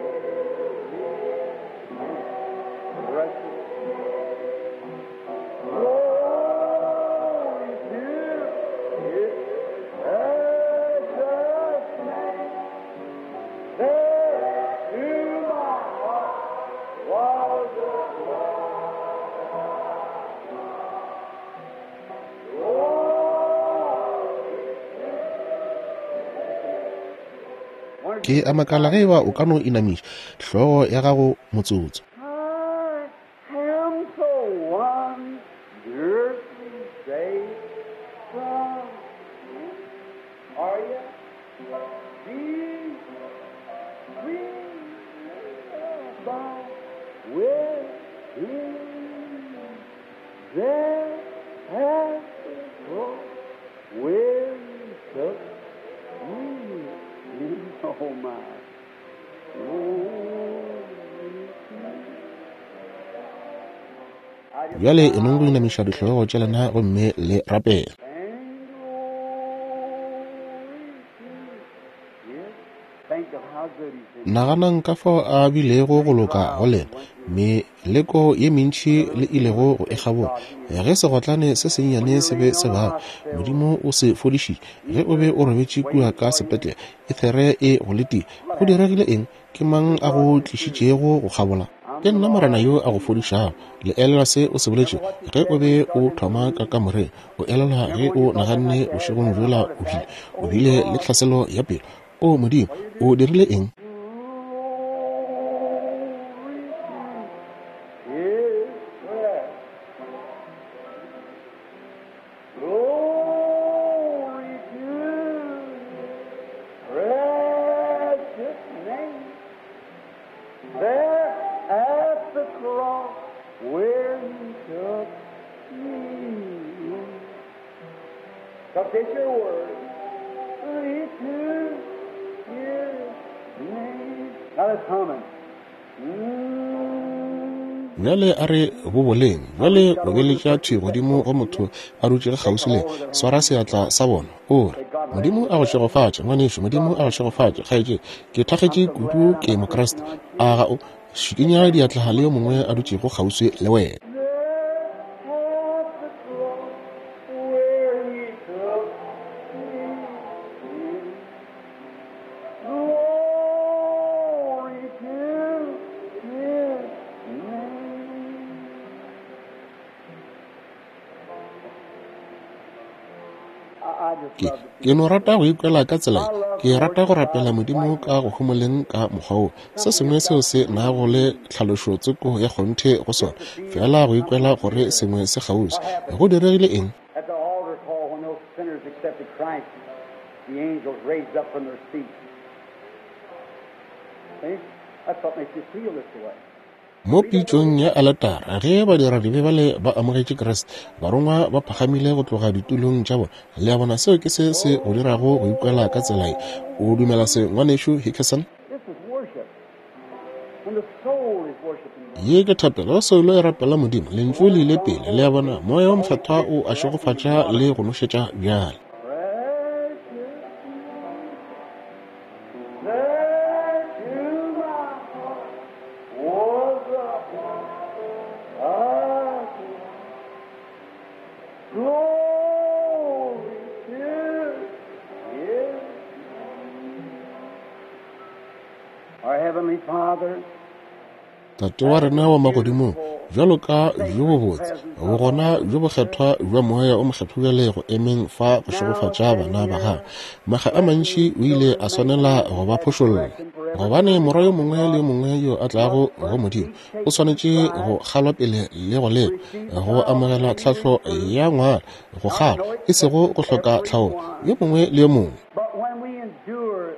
Ke a makala ge eba o ka no inamiša hlogo ya gago motsotso. I am so wonderfully saved from sin. Are you? Jesus, we abide with Him. There at the cross where He took me in. Oh my. Glory to I just Bjale e nong go inamiša dihlogo tša lena gomme le rapela. And glory to His. Think of how good He's been. Naganang ka fao a bilego go loka go lena, meleko ye mentši le ilego go e kgabola. Ge segotlane se sennyane se be se baba, Modimo o se fodišitše. Ge o be o robetše kua ka sepetlele, ethere e go letile. Go diregile eng? Ke mang a go tlišitšego go kgabola? Ke nna Morena yo a go fodišago. Le elelwa se o se boletšego ge o be o thoma ka kamoreng? O elelwa ge o naganne bošegong bjola o bile o bile le tlhaselo ya pelo? O Modimo, o dirile eng? Glory to His breath. Glory to His precious name. There at the cross where He took me in. Confess your word. Glory to His name. Now let's hum it. Mm. Bjale a re boboleng. Bjale obeletša thwi godimo go motho a dutšego kgauswi le yena. Swara seatla sa bona. O re, Modimo a go šegofatše, ngwanešu. Modimo a go šegofatše, kgaetšedi. Ke thakgetše kudu, ke Mokriste. A ga o šikinya diatla le yo mongwe a dutšego kgauswi le wena. There at the cross where He took me in. Glory to His name. I, I just Ke love the ke no rata go ikwela ka tsela ye. Ke rata go rapela Modimo ka go homoleng ka mokgwa wo. Se sengwe seo se nago le tlhalošo tsoko ya kgonthe go sona, fela go ikwela gore sengwe se kgauswi. Go diregile eng? At the altar call, when those sinners accepted Christ, the angels raised up from their seats. See? That's what makes you feel this way. Mo pitšong ya aletara, ge badiradibe bale ba amogetše Kriste, barongwa ba phagamile go tloga ditulong tša bona. Le a bona, seo ke se se go dirago go ikwela ka tsela ye. O dumela se, ngwanešu Hickerson? This is worship. When the soul is worshiping God. Ye ke thapelo, soulo e rapela Modimo. Lentšu le ile pele. Le a bona, moya wo mokgethwa o a šegofatša le go nošetša bjale. Precious, there to my heart was a glory to His name. Our Heavenly Father, Tate wa rena wa magodimong, bjalo ka bjo bobotse, bogona bjo bokgethwa bja moya o mokgethwa bjale go emeng fa go šegofatša bana ba gago. Makga a mantši o ile a swanela go ba phošolla, gobane morwa yo mongwe le yo mongwe yo a tlago go Modimo o swanetše go kgalwa pele le go lekwa, go amogela tlhahlo ya ngwala, go kgalwa, e sego go hloka tlhaolo, yo mongwe le yo mongwe. but when we endure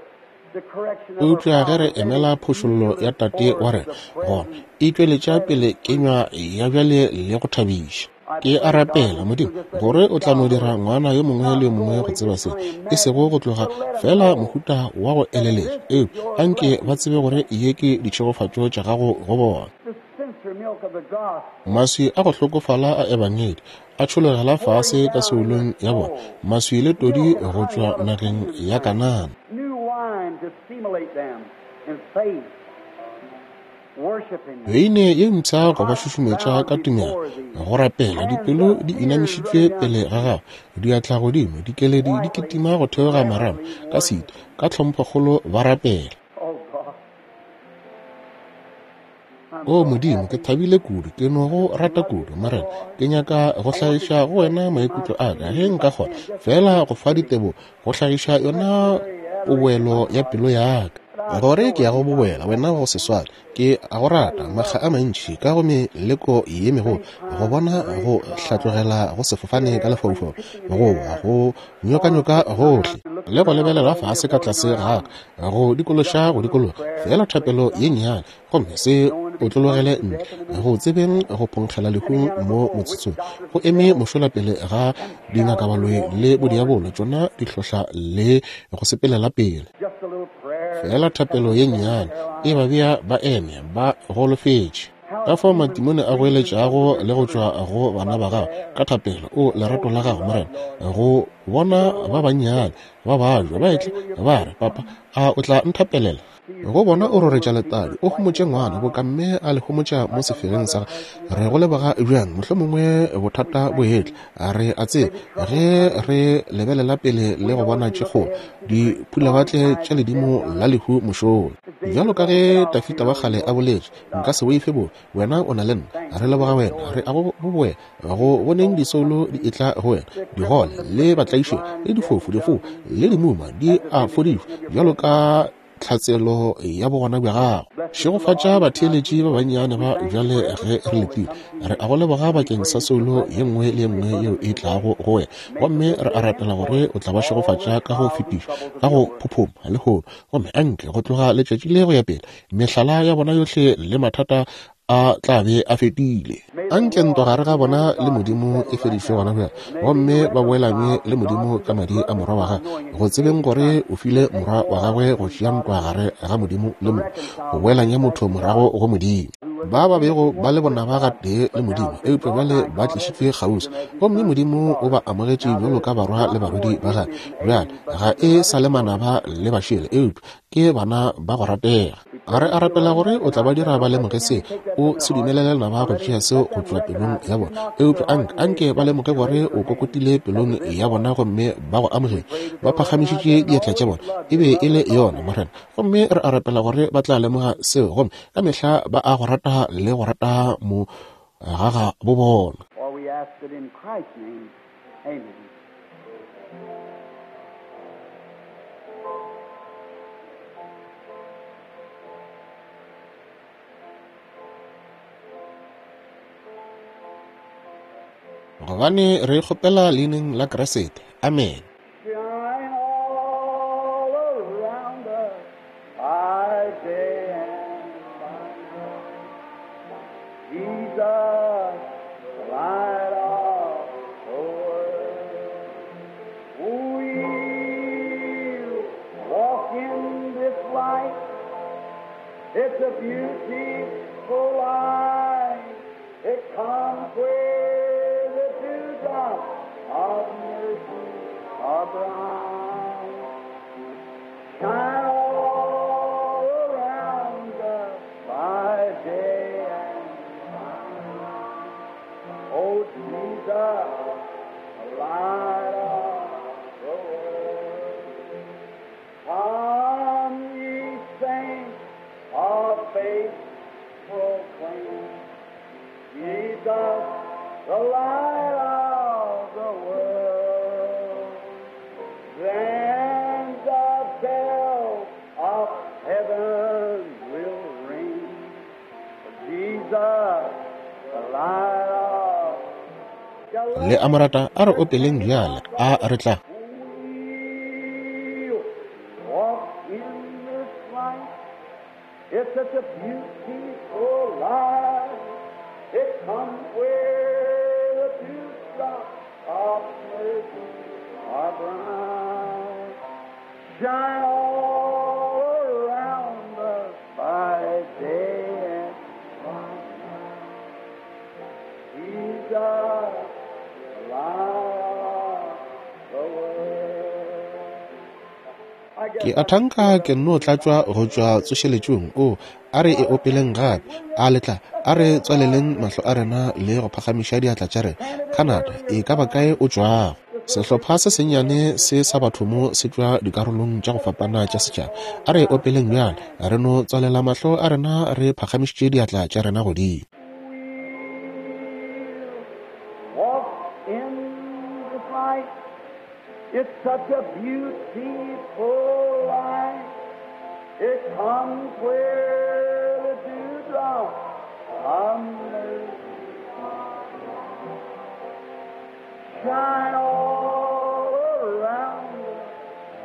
the correction of our Eupša ge re Father, emela phošollo ya tate wa rena, gona e tšweletša pele kenywa ya bjale le go thabiša. Ke a rapela Modimo gore o tla no dira ngwana yo mongwe le yo mongwe go tseba se, e sego go tloga fela mohuta wa go eleletša, eupša anke ba tsebe gore ye ke ditšhegofatšo tša gago go bona. the sincere milk of the gospel, Maswi a go hlokofala a ebangedi a tšhologela fase ka seolong ya bona, maswi le todi go tšwa nageng ya Kanana. new wine to stimulate them in faith, worshiping you. Beine ye mpsha go ba šušumetša ka tumelo, go rapela, dipelo di inamišitšwe pele ga gago, diatla godimo, dikeledi di kitima go theoga marama ka setu, ka tlhomphokgolo ba rapela. Oh God. I'm O so Modimo, ke happy. thabile kudu, ke no go rata kudu, Morena. Ke nyaka go hlagiša go wena maikutlo a ka ge nka kgona, fela go fa ditebogo, go hlagiša yona poboelo ya pelo ya ka. Gore ke ya go boboela wena go se swane, ke a go rata makga a mantši ka go meleko ye megolo, go bona go hlatlogela go sefofane ka lefaufau, go wa go nyokanyoka gohle, le go lebelela fase ka tlase ga ka, go dikološa go dikologa, fela thapelo ye nnyane, gomme se otlologele ntle, go tsebeng go phonkgela lehung mo motsotsong, go eme mošola pele ga dingakabaloi le bodiabolo, tšona di hlohla le go sepelela pele. Fela thapelo ye nnyane e ba bea ba eme ba golofetše. Ka fao matimone a goeletšago le go tšwa go bana ba gago ka thapelo, o lerato la gago Morena, go bona ba bannyane ba bajwa ba etla ba re, Papa, a o tla nthapelela? Go bona o roretša letadi, o homotše ngwana boka mme a le homotša mo sefereng sa re go leboga bjang, mohlomongwe bothata bo etla, re a tseba ge re lebelela pele le go bona tše kgolo diphulawatle tša ledimo la lehu mošola. Bjalo ka ge Tafita wa kgale a boletše, nka se boife bobe, wena o na le nna, re leboga wena, re a go boboela go boneng disoulo di etla go wena, digole le batlaišo le difofu difo le dimuma di a fodišwa bjalo ka tlhatselo ya bogona bja gago. Šegofatša batheeletši ba bannyane ba bjale ge re letile, re a go leboga bakeng sa soulo ye nngwe le ye nngwe yeo e tlago go wena, gomme re a rapela gore o tla ba šegofatša ka go fetiša ka go phophoma lehono, gomme anke go tloga letšatši le go ya pele mehlala ya bona yohle le mathata a tla be a fetile. Anke ntwa gare ga bona le Modimo e fedišwe gona bjale, gomme ba boelane le Modimo ka madi a morwa wa gagwe, go tsebeng gore o file morwa wa gagwe go tšea ntwa gare ga Modimo le motho, go boelanya motho morago go Modimo. Ba ba bego ba le bonaba gatee le Modimo, eupša bjale ba tlišitšwe kgauswi, gomme Modimo o ba amogetše bjalo ka barwa le barwedi ba gagwe. Bjale ga e sa le manaba le bašele, eupša ke bana ba go ratega. Re a rapela gore o tla ba dira ba lemoge se, o se dumelele lenaba go tšea seo go tšwa pelong ya bona, eupša anke anke ba lemoge gore o kokotile pelong ya bona gomme ba go amogetše, ba phagamišitše diatla tša bona, e be e le yona Morena. Gomme re a rapela gore ba tla lemoga seo, gomme ka mehla ba a go rata le go rata mo gaga bo bona. For we ask it in Christ's name. Amen. Gobane re kgopela leineng la Kriste. Amen. Shine all around us by day and by night. Jesus, the light of the world. We'll walk in this light. It's a beautiful light. It comes where the dewdrops of mercy are bright. Shine all around us by day and by night. Oh, Jesus, the light of the world. Come, ye saints of faith, proclaim Jesus, the light of the world. Then the bells of heaven will ring. Jesus, the light of the Le a mo rata, a re opeleng bjale, a re tla. We'll walk in this light. It's such a beautiful light. It comes where the dewdrops of mercy are bright. Shine all around us by day and by night. Jesus, the light of the world. I guess Ke a thanka ke nno tlatšwa go tšwa tsošeletšong. O a re e opeleng gape, a letla, a re tswaleleng mahlo a rena le go phagamiša diatla tša rena. Canada, e ka ba kae o tšwago? Sehlopha se sennyane se sa batho mo se tšwa dikarolong tša go fapana tša setšhaba. A re opeleng bjale, re no tswalela mahlo a rena re phagamišitše diatla tša rena godimo. We'll walk in this light. It's such a beautiful light. It comes where the dewdrop comes. Shine all around,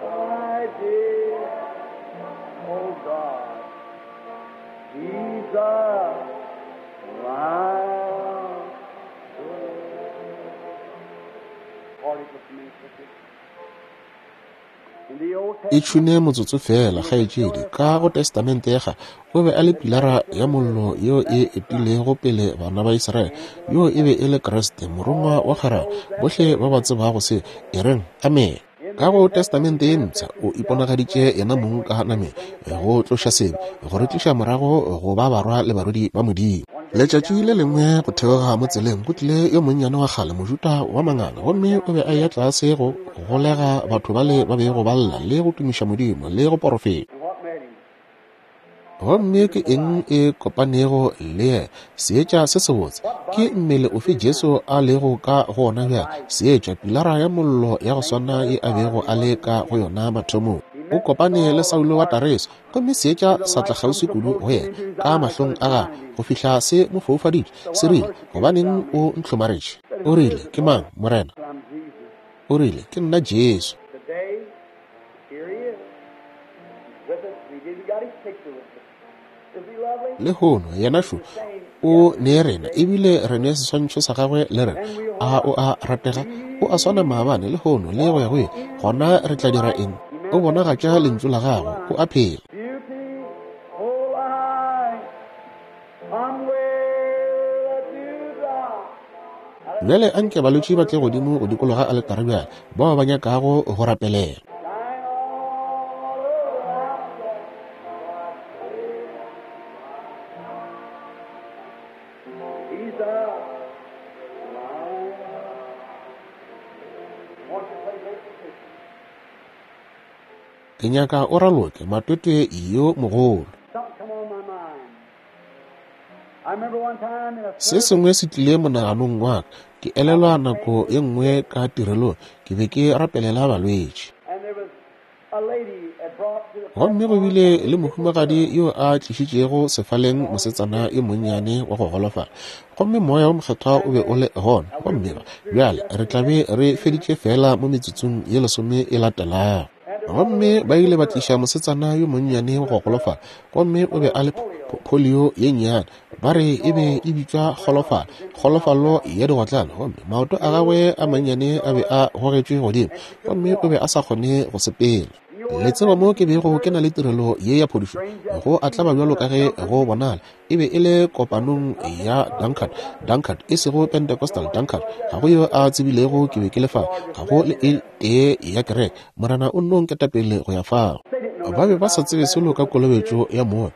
my dear, oh God, Jesus, my E tšhune motsotso fela, kgaetšedi. Ka go Testamente ya Kgale, o be a le pilara ya mollo yeo e etilego pele bana ba Israele. Yo e be e le Kriste, morongwa wa kgwerano. Bohle ba ba tsebago se, e reng amene. Ka go Testamente ye Mpsha, o iponagaditše yena mong ka nameng, go tloša sebe, go re tliša morago go ba barwa le barwedi ba Modimo. Letšatši le lengwe go theoga mo tseleng go tlile yo monnyane wa kgale, Mojuda wa manganga, gomme o be a eya tlase go golega batho bale ba bego ba lla le go tumiša Modimo le go porofeta. Gomme ke eng e kopanego le yena? Seetša se sebotse. Ke mmele ofe Jesu a lego ka go ona bjale? Seetša, pilara ya mollo ya go swana ye a bego a le ka go yona mathomong. O kopane le Saulo wa Tareso, gomme seetša sa tla kgauswi kudu go yena ka mahlong a gagwe go fihla se mo foufaditše. Se rile, gobaneng o ntlhomaretše? O rile, ke mang, Morena? O rile, ke nna Jesu. Today, here he is. He's with us. We did. We got his picture with us. Is he lovely? Lehono yena šo o ne rena, ebile re ne seswantšho sa gagwe le rena. A o a ratega? O a swana maabane, lehono le go ya go ile. Gona re tla dira eng? O bonagatša lentšu la gagwe, o a phela. Beautiful light, come where the dewdrop. Bjale anke balwetši ba tle godimo go dikologa aletare bjale, bao ba nyakago go rapelela. Shine all around us. He's a light. Won't you play great petition? Ke nyaka o raloke matwetwe yo mogolo. Something come on my mind. I remember one time in a Se sengwe se tlile monaganong wa ka. Ke elelwa nako ye nngwe ka tirelong, ke be ke rapelela balwetši. and there was a lady had brought to the Gomme go bile le mohumagadi yo a tlišitšego sefaleng mosetsana yo monnyane wa go golofala. Gomme moya wo mokgethwa o be o le gona. Gomme ba, bjale re tla be re feditše fela mo metsotsong ye lesome e latelago. Gomme ba ile ba tliša mosetsana yo monnyane wa go golofala, gomme o be a le polio ye nnyane. Ba re e be e bitšwa kgolofalo, kgolofalo ya digotlane. Gomme maoto a gagwe a mannyane a be a gogetšwe godimo, gomme o be a sa kgone go sepela. Le tseba mo ke bego ke na le tirelo ye ya phodišo, go a tlaba bjalo ka ge go bonala, e be e le kopanong ya Dunkard, Dunkard e sego Pentecostal Dunkard. Ga go yo a tsebilego ke be ke le fao, ga go le e tee ya kereke. Morena o nno nketapele go ya fao. Ba be ba sa tsebe selo ka kolobetšo ya moya.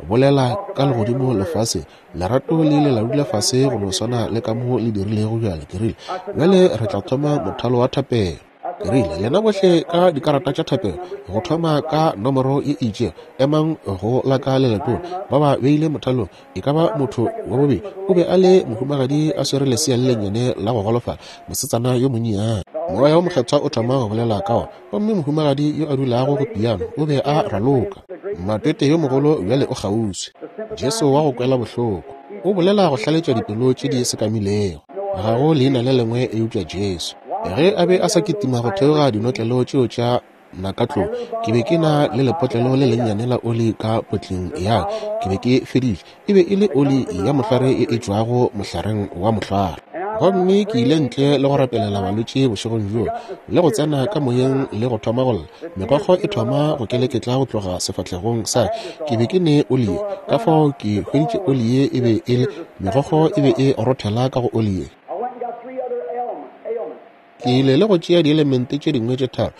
Bolela ka legodimo lefase, lerato le ile la dula fase go no swana le ka mo le dirilego bjale. Ke rile, bjale re tla thoma mothalo wa thapelo. Ke rile, lena bohle ka dikarata tša thapelo, go thoma ka nomoro ye itšego, emang go la ka le letona. Ba ba beile mothalong, e ka ba motho wa bobedi o be a le mohumagadi a swere lesea le lennyane la go golofala, mosetsana yo monnyane. Moya wo mokgethwa o thoma go bolela ka ona, gomme mohumagadi yo a dulago go piano o be a raloka. Matwete yo mogolo bjale o kgauswi, Jesu wa go kwela bohloko, o bolela go hlaletša dipelo tše di sekamilego. Ga go leina le lengwe eupša Jesu. Ge a be a sa kitima go theoga dinotlelo tšeo tša nakatlou, ke be ke na le lepotlelo le lennyane la oli ka potleng ya ka. Ke be ke feditše. E be e le oli ya mohlware e e tšwago mohlareng wa mohlware. Gomme ke ile ntle le go rapelela balwetši bošegong bjoo, le go tsena ka moyeng le go thoma go lla. Megokgo e thoma go keleketla go tloga sefahlegong sa ka. Ke be ke ne oli ye, ka fao ke hweditše oli ye e be e le, megokgo e be e rothela ka go oli ye. I went and got three other ailments. ailments. Ke ile le go tšea dielemente tše dingwe tše tharo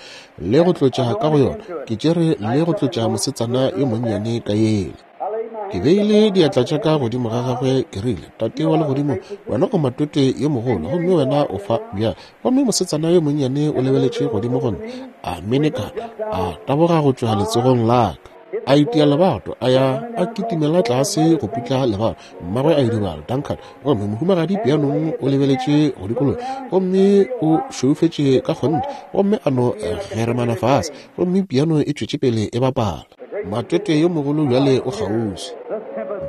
le go tlotša ka go yona. Ke tšere le go tlotša mosetsana yo monnyane ka yela. I laid my Ke beile diatla tša ka godimo ga gagwe, ke rile, Tate wa legodimo, wena o matwetwe yo mogolo, gomme wena o fa bjale. Gomme mosetsana yo monnyane o lebeletše godimo go nna, a menekana, a taboga go tšwa letsogong la ka. A itia lebato, a ya a kitimela tlase go putla lebato. Mmagwe a idibala, Duncan. Gomme mohumagadi pianong o lebeletše go dikologa, gomme o šweufetše ka kgonthe, gomme a no geremana fase, gomme piano e tšwetše pele e bapala. Matwetwe yo mogolo bjale o kgauswi.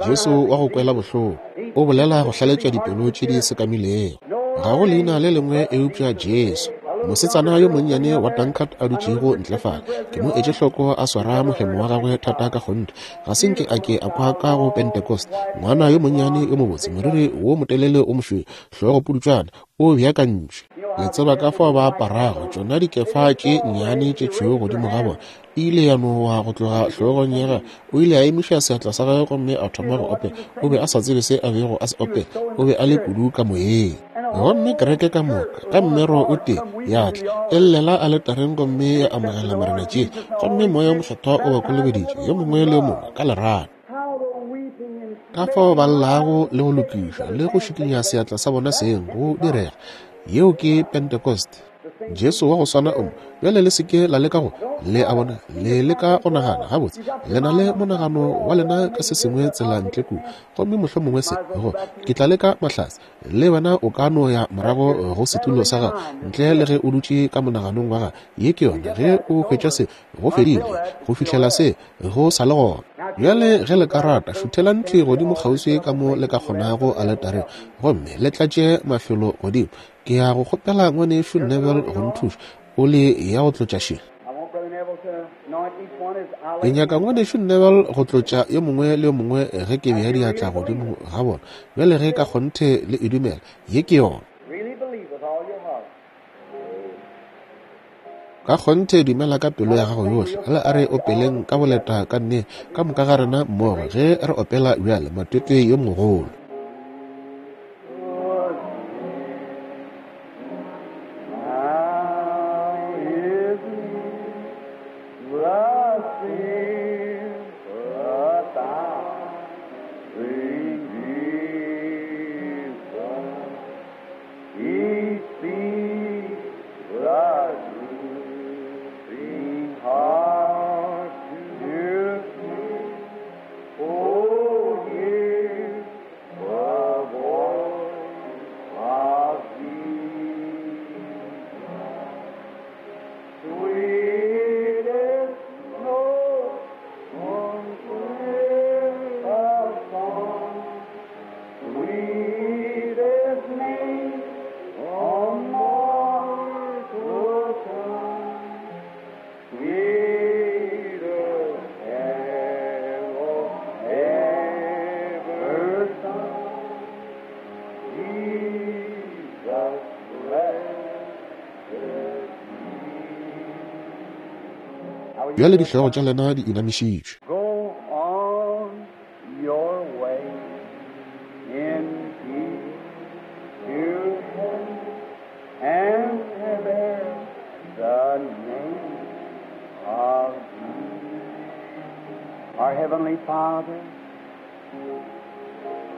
Jesu wa go kwela bohloko o bolela go hlaletša dipelo tše di sekamilego. Ga go leina le lengwe eupša Jesu. Mosetsana yo monnyane wa Dunkard a dutšego ntle fale, ke mo etše hloko a swara mohemo wa gagwe thata ka kgonthe. Ga se nke a ke a kwa ka go Pentecost. Ngwana yo monnyane yo mobotse, moriri wo motelele o mošweu, hlogo pudutšwana, o beakantšwe. Le tseba ka fao ba aparago tšona dikefa tše nnyane tše tšhweu godimo ga bona. E ile ya nowa go tloga hlogong ya gagwe. O ile a emiša seatla sa gagwe gomme a thoma go opela. O be a sa tsebe se a bego a se opela. O be a le kudu ka moyeng. Gomme kereke ka moka ka mmero o tee ya tla e llela aletareng gomme ya amogela Morena Jesu, gomme Moya o Mokgethwa o ba kolobeditše yo mongwe le yo mongwe ka lerato. Ka fao ba llago le go lokiša le go šikinya seatla sa bona seng go direga. Yeo ke Pentecost. Jesu wa go swana o mo. Bjale le seke la leka go le a bona, le leka go nagana gabotse. Le na le monagano wa lena ka se sengwe tsela ntle kua, gomme mohlomongwe se go ke tla leka mahlatse. Le wena o ka no ya morago go setulo sa gago ntle le ge o dutše ka monaganong wa gago. Ye ke yona. Ge o hwetša se, go fedile go fihlela se go sa le gona. Bjale ge le ka rata, šuthelang thwi godimo kgauswi ka mo le ka kgonago aletareng, gomme le tlatše mafelo godimo. Ke ya go kgopela ngwanešu Neville go nthuša o le ya go tlotša še. Ke nyaka ngwanešu Neville go tlotša yo mongwe le yo mongwe ge ke bea diatla godimo ga bona. Bjale ge ka kgonthe le e dumela, ye ke yona. Ka kgonthe dumela ka pelo ya gago yohle. Le a re opeleng ka boleta ka nne ka moka ga rena mmogo ge re opela bjale Matwetwe yo mogolo. Bjale dihlogo tša lena di inamišitšwe. Go on your way in peace to heaven and bear the name of Jesus. Our Heavenly Father,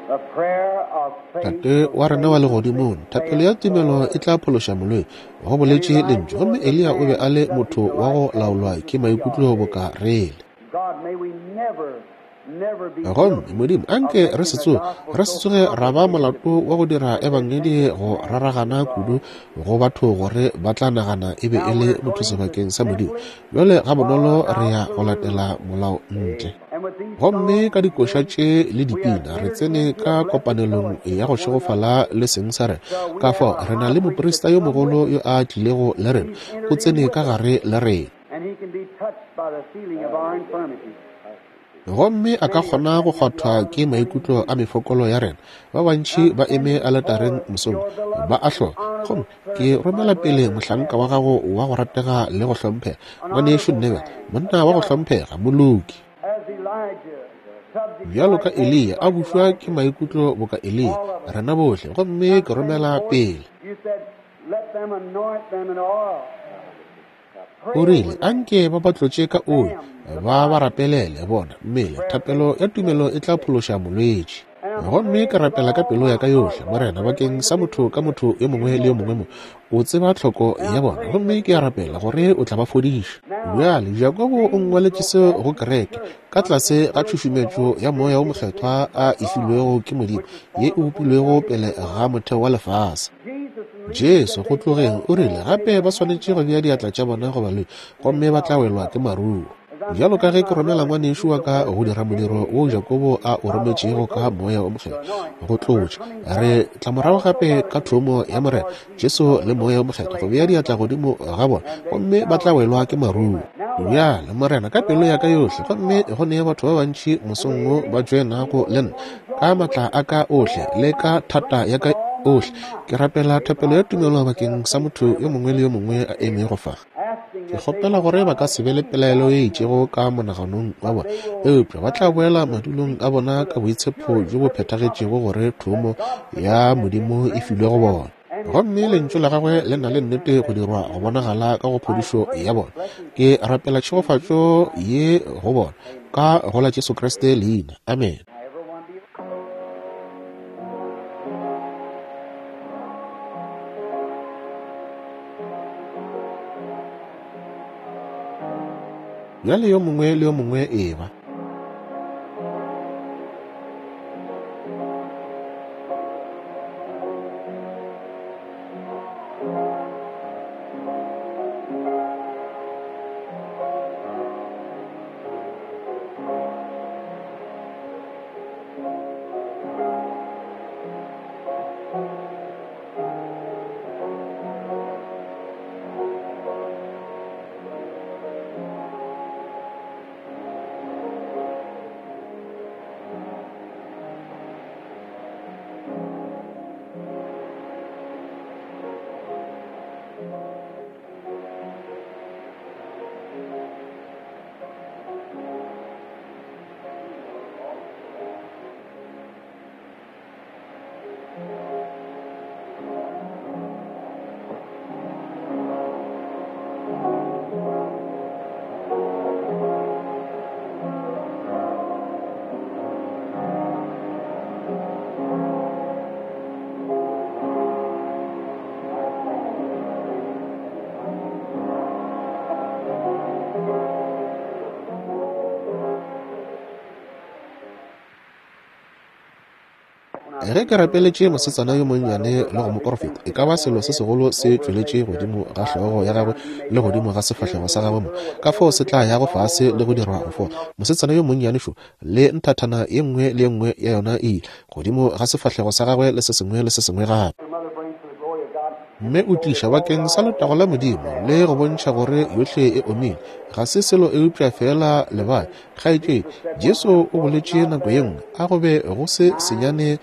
the prayer of faith. Tate wa rena wa legodimong, thapelo ya tumelo e tla phološa molwetši, go boletše lentšu. Gomme Eliya o be a le motho wa go laolwa ke maikutlo boka rele. God, may we never, never be Gomme Modimo, anke re se tsoge re se tsoge ra ba molato wa go dira ebangedi go raragana kudu go batho gore ba tla nagana e be e le motho sebakeng sa Modimo. Bjale ga bonolo re ya go latela molao ntle. And with these Gomme ka dikoša tše le dipina re tsene ka kopanelong ya go šegofala le seng sa rena. Ka fao re na le moprista yo mogolo yo a tlilego le rena, o tsene ka gare le rena. and he can be touched by the feeling of our infirmities. Gomme a ka kgona go kgwathwa ke maikutlo a mefokolo ya rena. Ba bantši ba eme aletareng mosong ba a hloka. Gomme ke romela pele mohlanka wa gago wa go ratega le go hlomphega, ngwanešu Neville, monna wa go hlomphega, moloki. As Elijah, subject Bjalo ka Eliya a bušwa ke maikutlo boka Eliya, rena bohle. Gomme ke romela pele. You said, let them anoint them in oil. O rile, anke ba ba tlotše ka oli, ba ba rapelele bona mmele. Thapelo ya tumelo e tla phološa molwetši. Gomme ke rapela ka pelo ya ka yohle, Morena, bakeng sa motho ka motho yo mongwe le yo mongwe mo. O tseba tlhoko ya bona, gomme ke a rapela gore o tla ba fodiša. Bjale Jakobo o ngwaletše seo go kereke ka tlase ga tšhušumetšo ya Moya wo Mokgethwa a e filwego ke Modimo, ye e bopilwego pele ga motheo wa lefase. Jesu go tlogeng o rile gape ba swanetše go bea diatla tša bona go balwetši, gomme ba tla welwa ke maruo. Bjalo ka ge ke romela ngwanešu wa ka go dira modiro wo Jakobo a o rometšego ka Moya o Mokgethwa go tlotša, re tla morago gape ka thomo ya Morena Jesu le Moya o Mokgethwa go bea diatla godimo ga bona, gomme ba tla welwa ke maruo. Bjale Morena, ka pelo ya ka yohle, gomme go ne batho ba bantši mosong wo ba tšoenago le nna ka maatla a ka ohle le ka thata ya ka ohle, ke rapela thapelo ya tumelo bakeng sa motho yo mongwe le yo mongwe a emego fa. Ke kgopela gore ba ka se be le pelaelo ye itšego ka monaganong wa bona, eupša ba tla boela madulong a bona ka boitshepo bjo bo phethagetšego gore thomo ya Modimo e filwe go bona. Gomme lentšu la gagwe le na le nnete go dirwa go bonagala ka go phodišo ya bona. Ke rapela tšhegofatšo ye go bona ka go la Jesu Kriste leina. Amen. Bjale yo mongwe le yo mongwe e ba. Ge ke rapeletše mosetsana yo monnyane le go mo porofeta, e ka ba selo se segolo se tšweletše godimo ga hlogo ya gagwe le godimo ga sefahlego sa gagwe mo, ka fao se tla yago fase le go dirwa go fola. Mosetsana yo monnyane šo le nthathana ye nngwe le ye nngwe ya yona e ile godimo ga sefahlego sa gagwe le se sengwe le se sengwe gape. Mme o tliša bakeng sa letago la Modimo le go bontšha gore yohle e omile, ga se selo eupša fela lebae. Kgaetšedi, Jesu o boletše nako ye nngwe, a go be go se senyane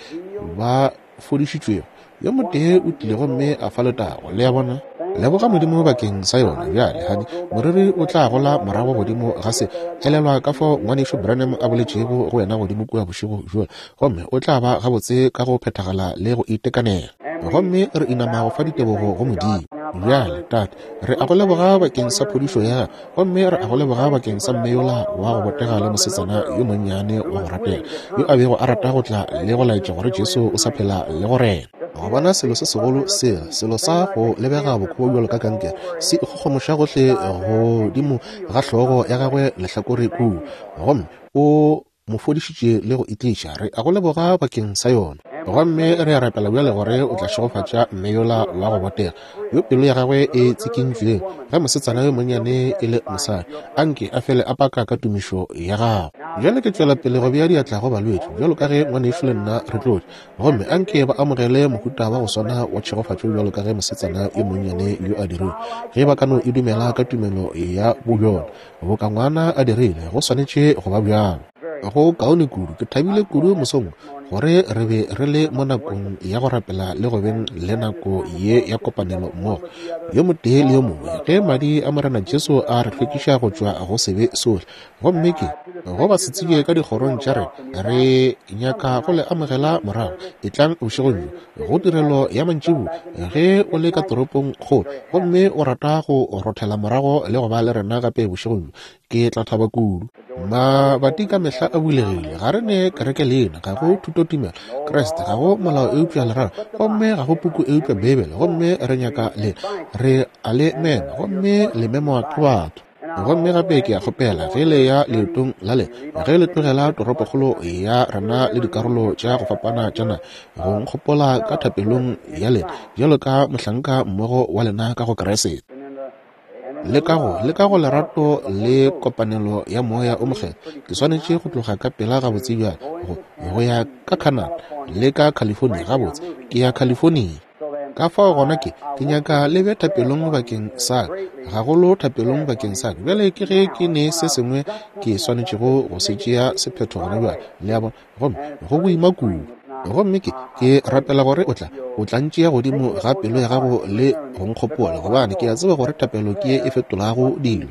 ba fodišitšwego. Yo motee o tlile gomme a fa letago. Le a bona? Leboga Modimo bakeng sa yona. Bjale, hani, moriri o tla gola morago godimo ga se. Elelwa ka fao ngwanešu Branham a boletšego go wena godimo kua bošego bjola, gomme o tla ba gabotse ka go phethagala le go itekanela. Gomme re inama go fa ditebogo go Modimo. Bjale, Tate, re a go leboga bakeng sa phodišo ya gago, gomme re a go leboga bakeng sa mme yola wa go botega le mosetsana yo monnyane wa go ratega yo a bego a rata go tla le go laetša gore Jesu o sa phela le go rena. Go bona selo se segolo sela, selo sa go lebega bokobo bjalo ka kankere, se ikgogomoša gohle godimo ga hlogo ya gagwe lehlakore kua, gomme o mo fodišitše le go itliša. Re a go leboga bakeng sa yona. Gomme re a rapela bjale gore o tla šegofatša mme yola wa go botega yo pelo ya gagwe e tsikintšweng ge mosetsana yo monnyane e le mosadi, anke a fele a paka ka tumišo ya gago. Bjale ke tšwela pele go bea diatla go balwetši bjalo ka ge ngwanešu le nna re tlotše, gomme anke ba amogele mohuta wa go swana wa tšhegofatšo bjalo ka ge mosetsana yo monnyane yo a dirile. Ge ba ka no e dumela ka tumelo ya bobjona boka ngwana a dirile, go swanetše go ba bjalo. Go kaone kudu. Ke thabile kudu mosong gore re be re le mo nakong ya go rapela le go beng le nako ye ya kopanelo mmogo yo motee le yo mongwe, ge madi a Morena Jesu a re hlwekiša go tšwa go sebe sohle. Gomme ke go ba se tsebje ka dikgorong tša rena, re nyaka go le amogela morago. Etlang bošegong bjo go tirelo ya mantšiboa ge o le ka toropong kgolo gomme o rata go rothela morago le go ba le rena gape bošegong bjo, ke tla thaba kudu. Mabati ka mehla a bulegile. Ga re ne kereke leina, ga go thutotumelo Kriste, ga go molao eupša lerato, gomme ga go puku eupša Beibele. Gomme re nyaka le re a le mema, gomme le memwa ke batho. Gomme gape ke a kgopela ge le ya leetong la le, ge le tlogela toropokgolo ya rena le dikarolo tša go fapana tša naga, go nkgopola ka thapelong ya lena bjalo ka mohlanka mmogo wa lena ka go Kriste. Le ka go, le ka go lerato le kopanelo ya Moya o Mokgethwa, ke swanetše go tloga ka pela gabotse bjale, go, go ya ka Canada le ka California. Gabotse, ke ya California. Ka fao gona ke, ke nyaka le be thapelong bakeng sa ka, gagolo thapelong bakeng sa ka. Bjale ke ge ke ne se sengwe ke swanetšego go se tšea sephetho gona bjale, le a bona, gomme go boima kudu. Gomme ke, ke rapela gore o tla, o tla ntšea godimo ga pelo ya gago le go nkgopola, gobane ke a tseba gore thapelo ke ye e fetolago dilo,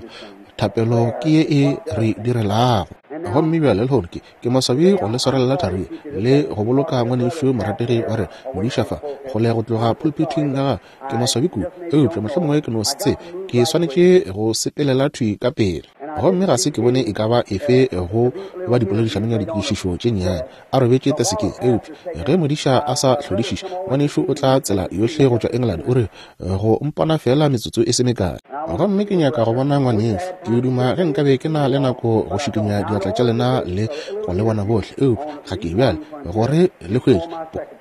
thapelo ke ye e re direlago. Gomme bjale lehono ke, ke maswabi go le swarelela thari le go boloka ngwanešu morategi wa rena modiša fa kgole go tloga pulpithing ya gagwe. Ke maswabi kudu, eupša mohlomongwe ke no se tsebe, ke swanetše go sepelela thwi ka pele. Gomme ga se ke bone e ka ba efe go ba dipoledišanong ya dikešišo tše nnyane a robetše tesekeng. Eupša ge modiša a sa hlodišiše, ngwanešu o tla tsela yohle go tšwa England, o re go mpona fela metsotso e se mekae. Gomme ke nyaka go bona ngwanešu. Ke duma ge nkabe ke na le nako go šikinya diatla tša lena le go le bona bohle, eupša ga ke bjale gore le hwetše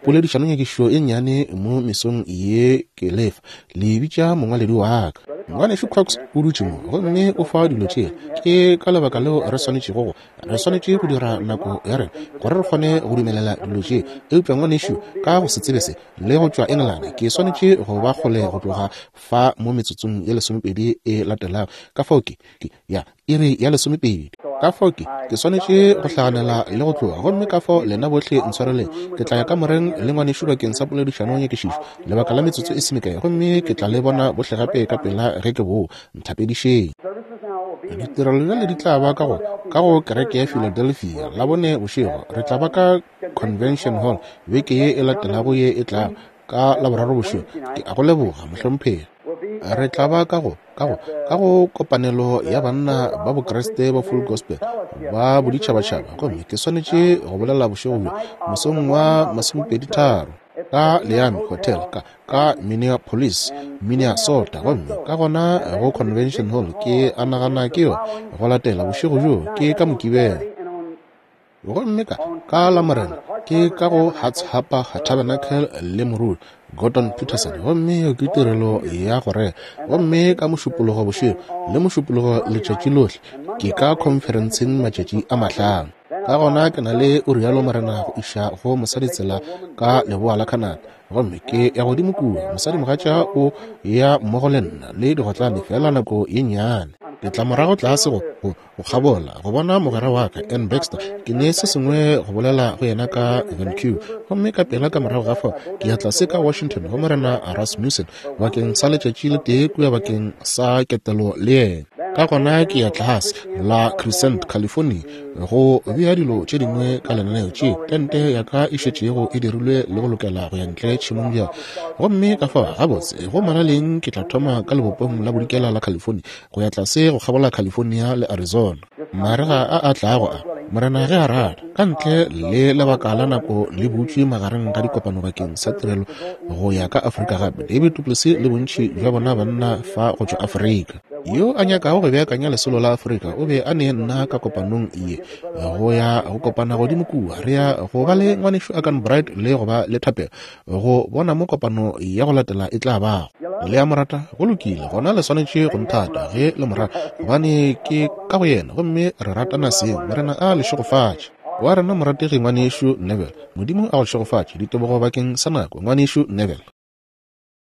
poledišanonyakišišo e nnyane mo mesong ye ke lefa. Le bitša mongwaledi wa ka. Ngwanešu Cox o dutše mo, gomme o fa dilo tše. Ke ka lebaka leo re swanetšego go, re swanetše go dira nako ya rena gore re kgone go dumelela dilo tše. Eupša ngwanešu, ka go se tsebe se le go tšwa England, ke swanetše go ba kgole go tloga fa mo metsotsong ye lesomepedi e latelago. Ka fao ke, ke ya iri ya lesomepedi. Ka fao ke, ke swanetše go hlaganela le go tloga. Gomme ka fao lena bohle ntshwareleng, ke tla ya kamoreng le ngwanešu bakeng sa poledišano nyakišišo lebaka la metsotso e se mekae, gomme ke tla le bona bohle gape ka pela ge ke boa. Nthapedišeng. Ditirelo bjale di tla ba ka go, ka go kereke ya Philadelphia Labone bošego. Re tla ba ka Convention Hall beke ye e latelago ye e tlago ka Laboraro bošego. Ke a go leboga, mohlomphegi. Re tla ba ka go, ka go, ka go kopanelo ya banna ba Bokriste ba Full Gospel ba boditšhabatšhaba, gomme ke swanetše go bolela bošego bjo mosong wa masomepedi tharo ka Leame Hotel ka, ka Minneapolis, Minnesota. Gomme ka gona go Convention Hall, ke a nagana ke yona go latela bošego bjo, ke ka Mokibelo. Gomme ka, ka Lamorena ke ka go Hearts Harbor Tabernacle le moruti Gordon Peterson, gomme yeo ke tirelo ya go rera. Gomme ka Mošupologo bošego le Mošupologo letšatši lohle ke ka conferenceng matšatši a mahlano. Ka gona ke na le o rialo Morena go iša go mosadi tsela ka leboa la Canada, gomme ke ya godimo kua. Mosadimogatša o ya mmogo le nna le digotlane fela nako ye nnyane. Ke tla morago tlase go, go, go kgabola go bona mogwera wa ka Ann Baxter. Ke ne se sengwe go bolela go yena ka Vancouver, gomme ka pela ka morago ga fao ke ya tlase ka Washington go Morena Rasmussen bakeng sa letšatši le tee kua bakeng sa ketelo le yena. Ka gona ke ya tlase la Crescent, California go bea dilo tše dingwe ka lenaneo tše tente ya ka e šetšego e dirilwe le go lokela go ya ntle tšhemong bjale. Gomme ka fao gabotse go molaleng ke tla thoma ka lebopong la bodikela la California go ya tlase go kgabola California le Arizona. Marega a a tlago a, Morena ge a rata, ka ntle le lebaka la nako le butšwe magareng ga dikopano bakeng sa tirelo go ya ka Afrika gape. David du Plessis le bontši bja bona banna fa go tšwa Afrika. Yo a nyakago go beakanya lesolo la Afrika o be a ne nna ka kopanong ye go ya go kopana godimo kua. Re ya go ba le ngwanešu Akan Bright le go ba le thapelo go bona mo kopano ya go latela e tla bago. Le a mo rata? Go lokile, gona le swanetše go nthata ge le mo rata, gobane ke ka go yena, gomme re ratana seng. Morena a le šegofatše. Wa rena morategi ngwanešu Neville, Modimo a go šegofatše. Ditebogo bakeng sa nako, ngwanešu Neville.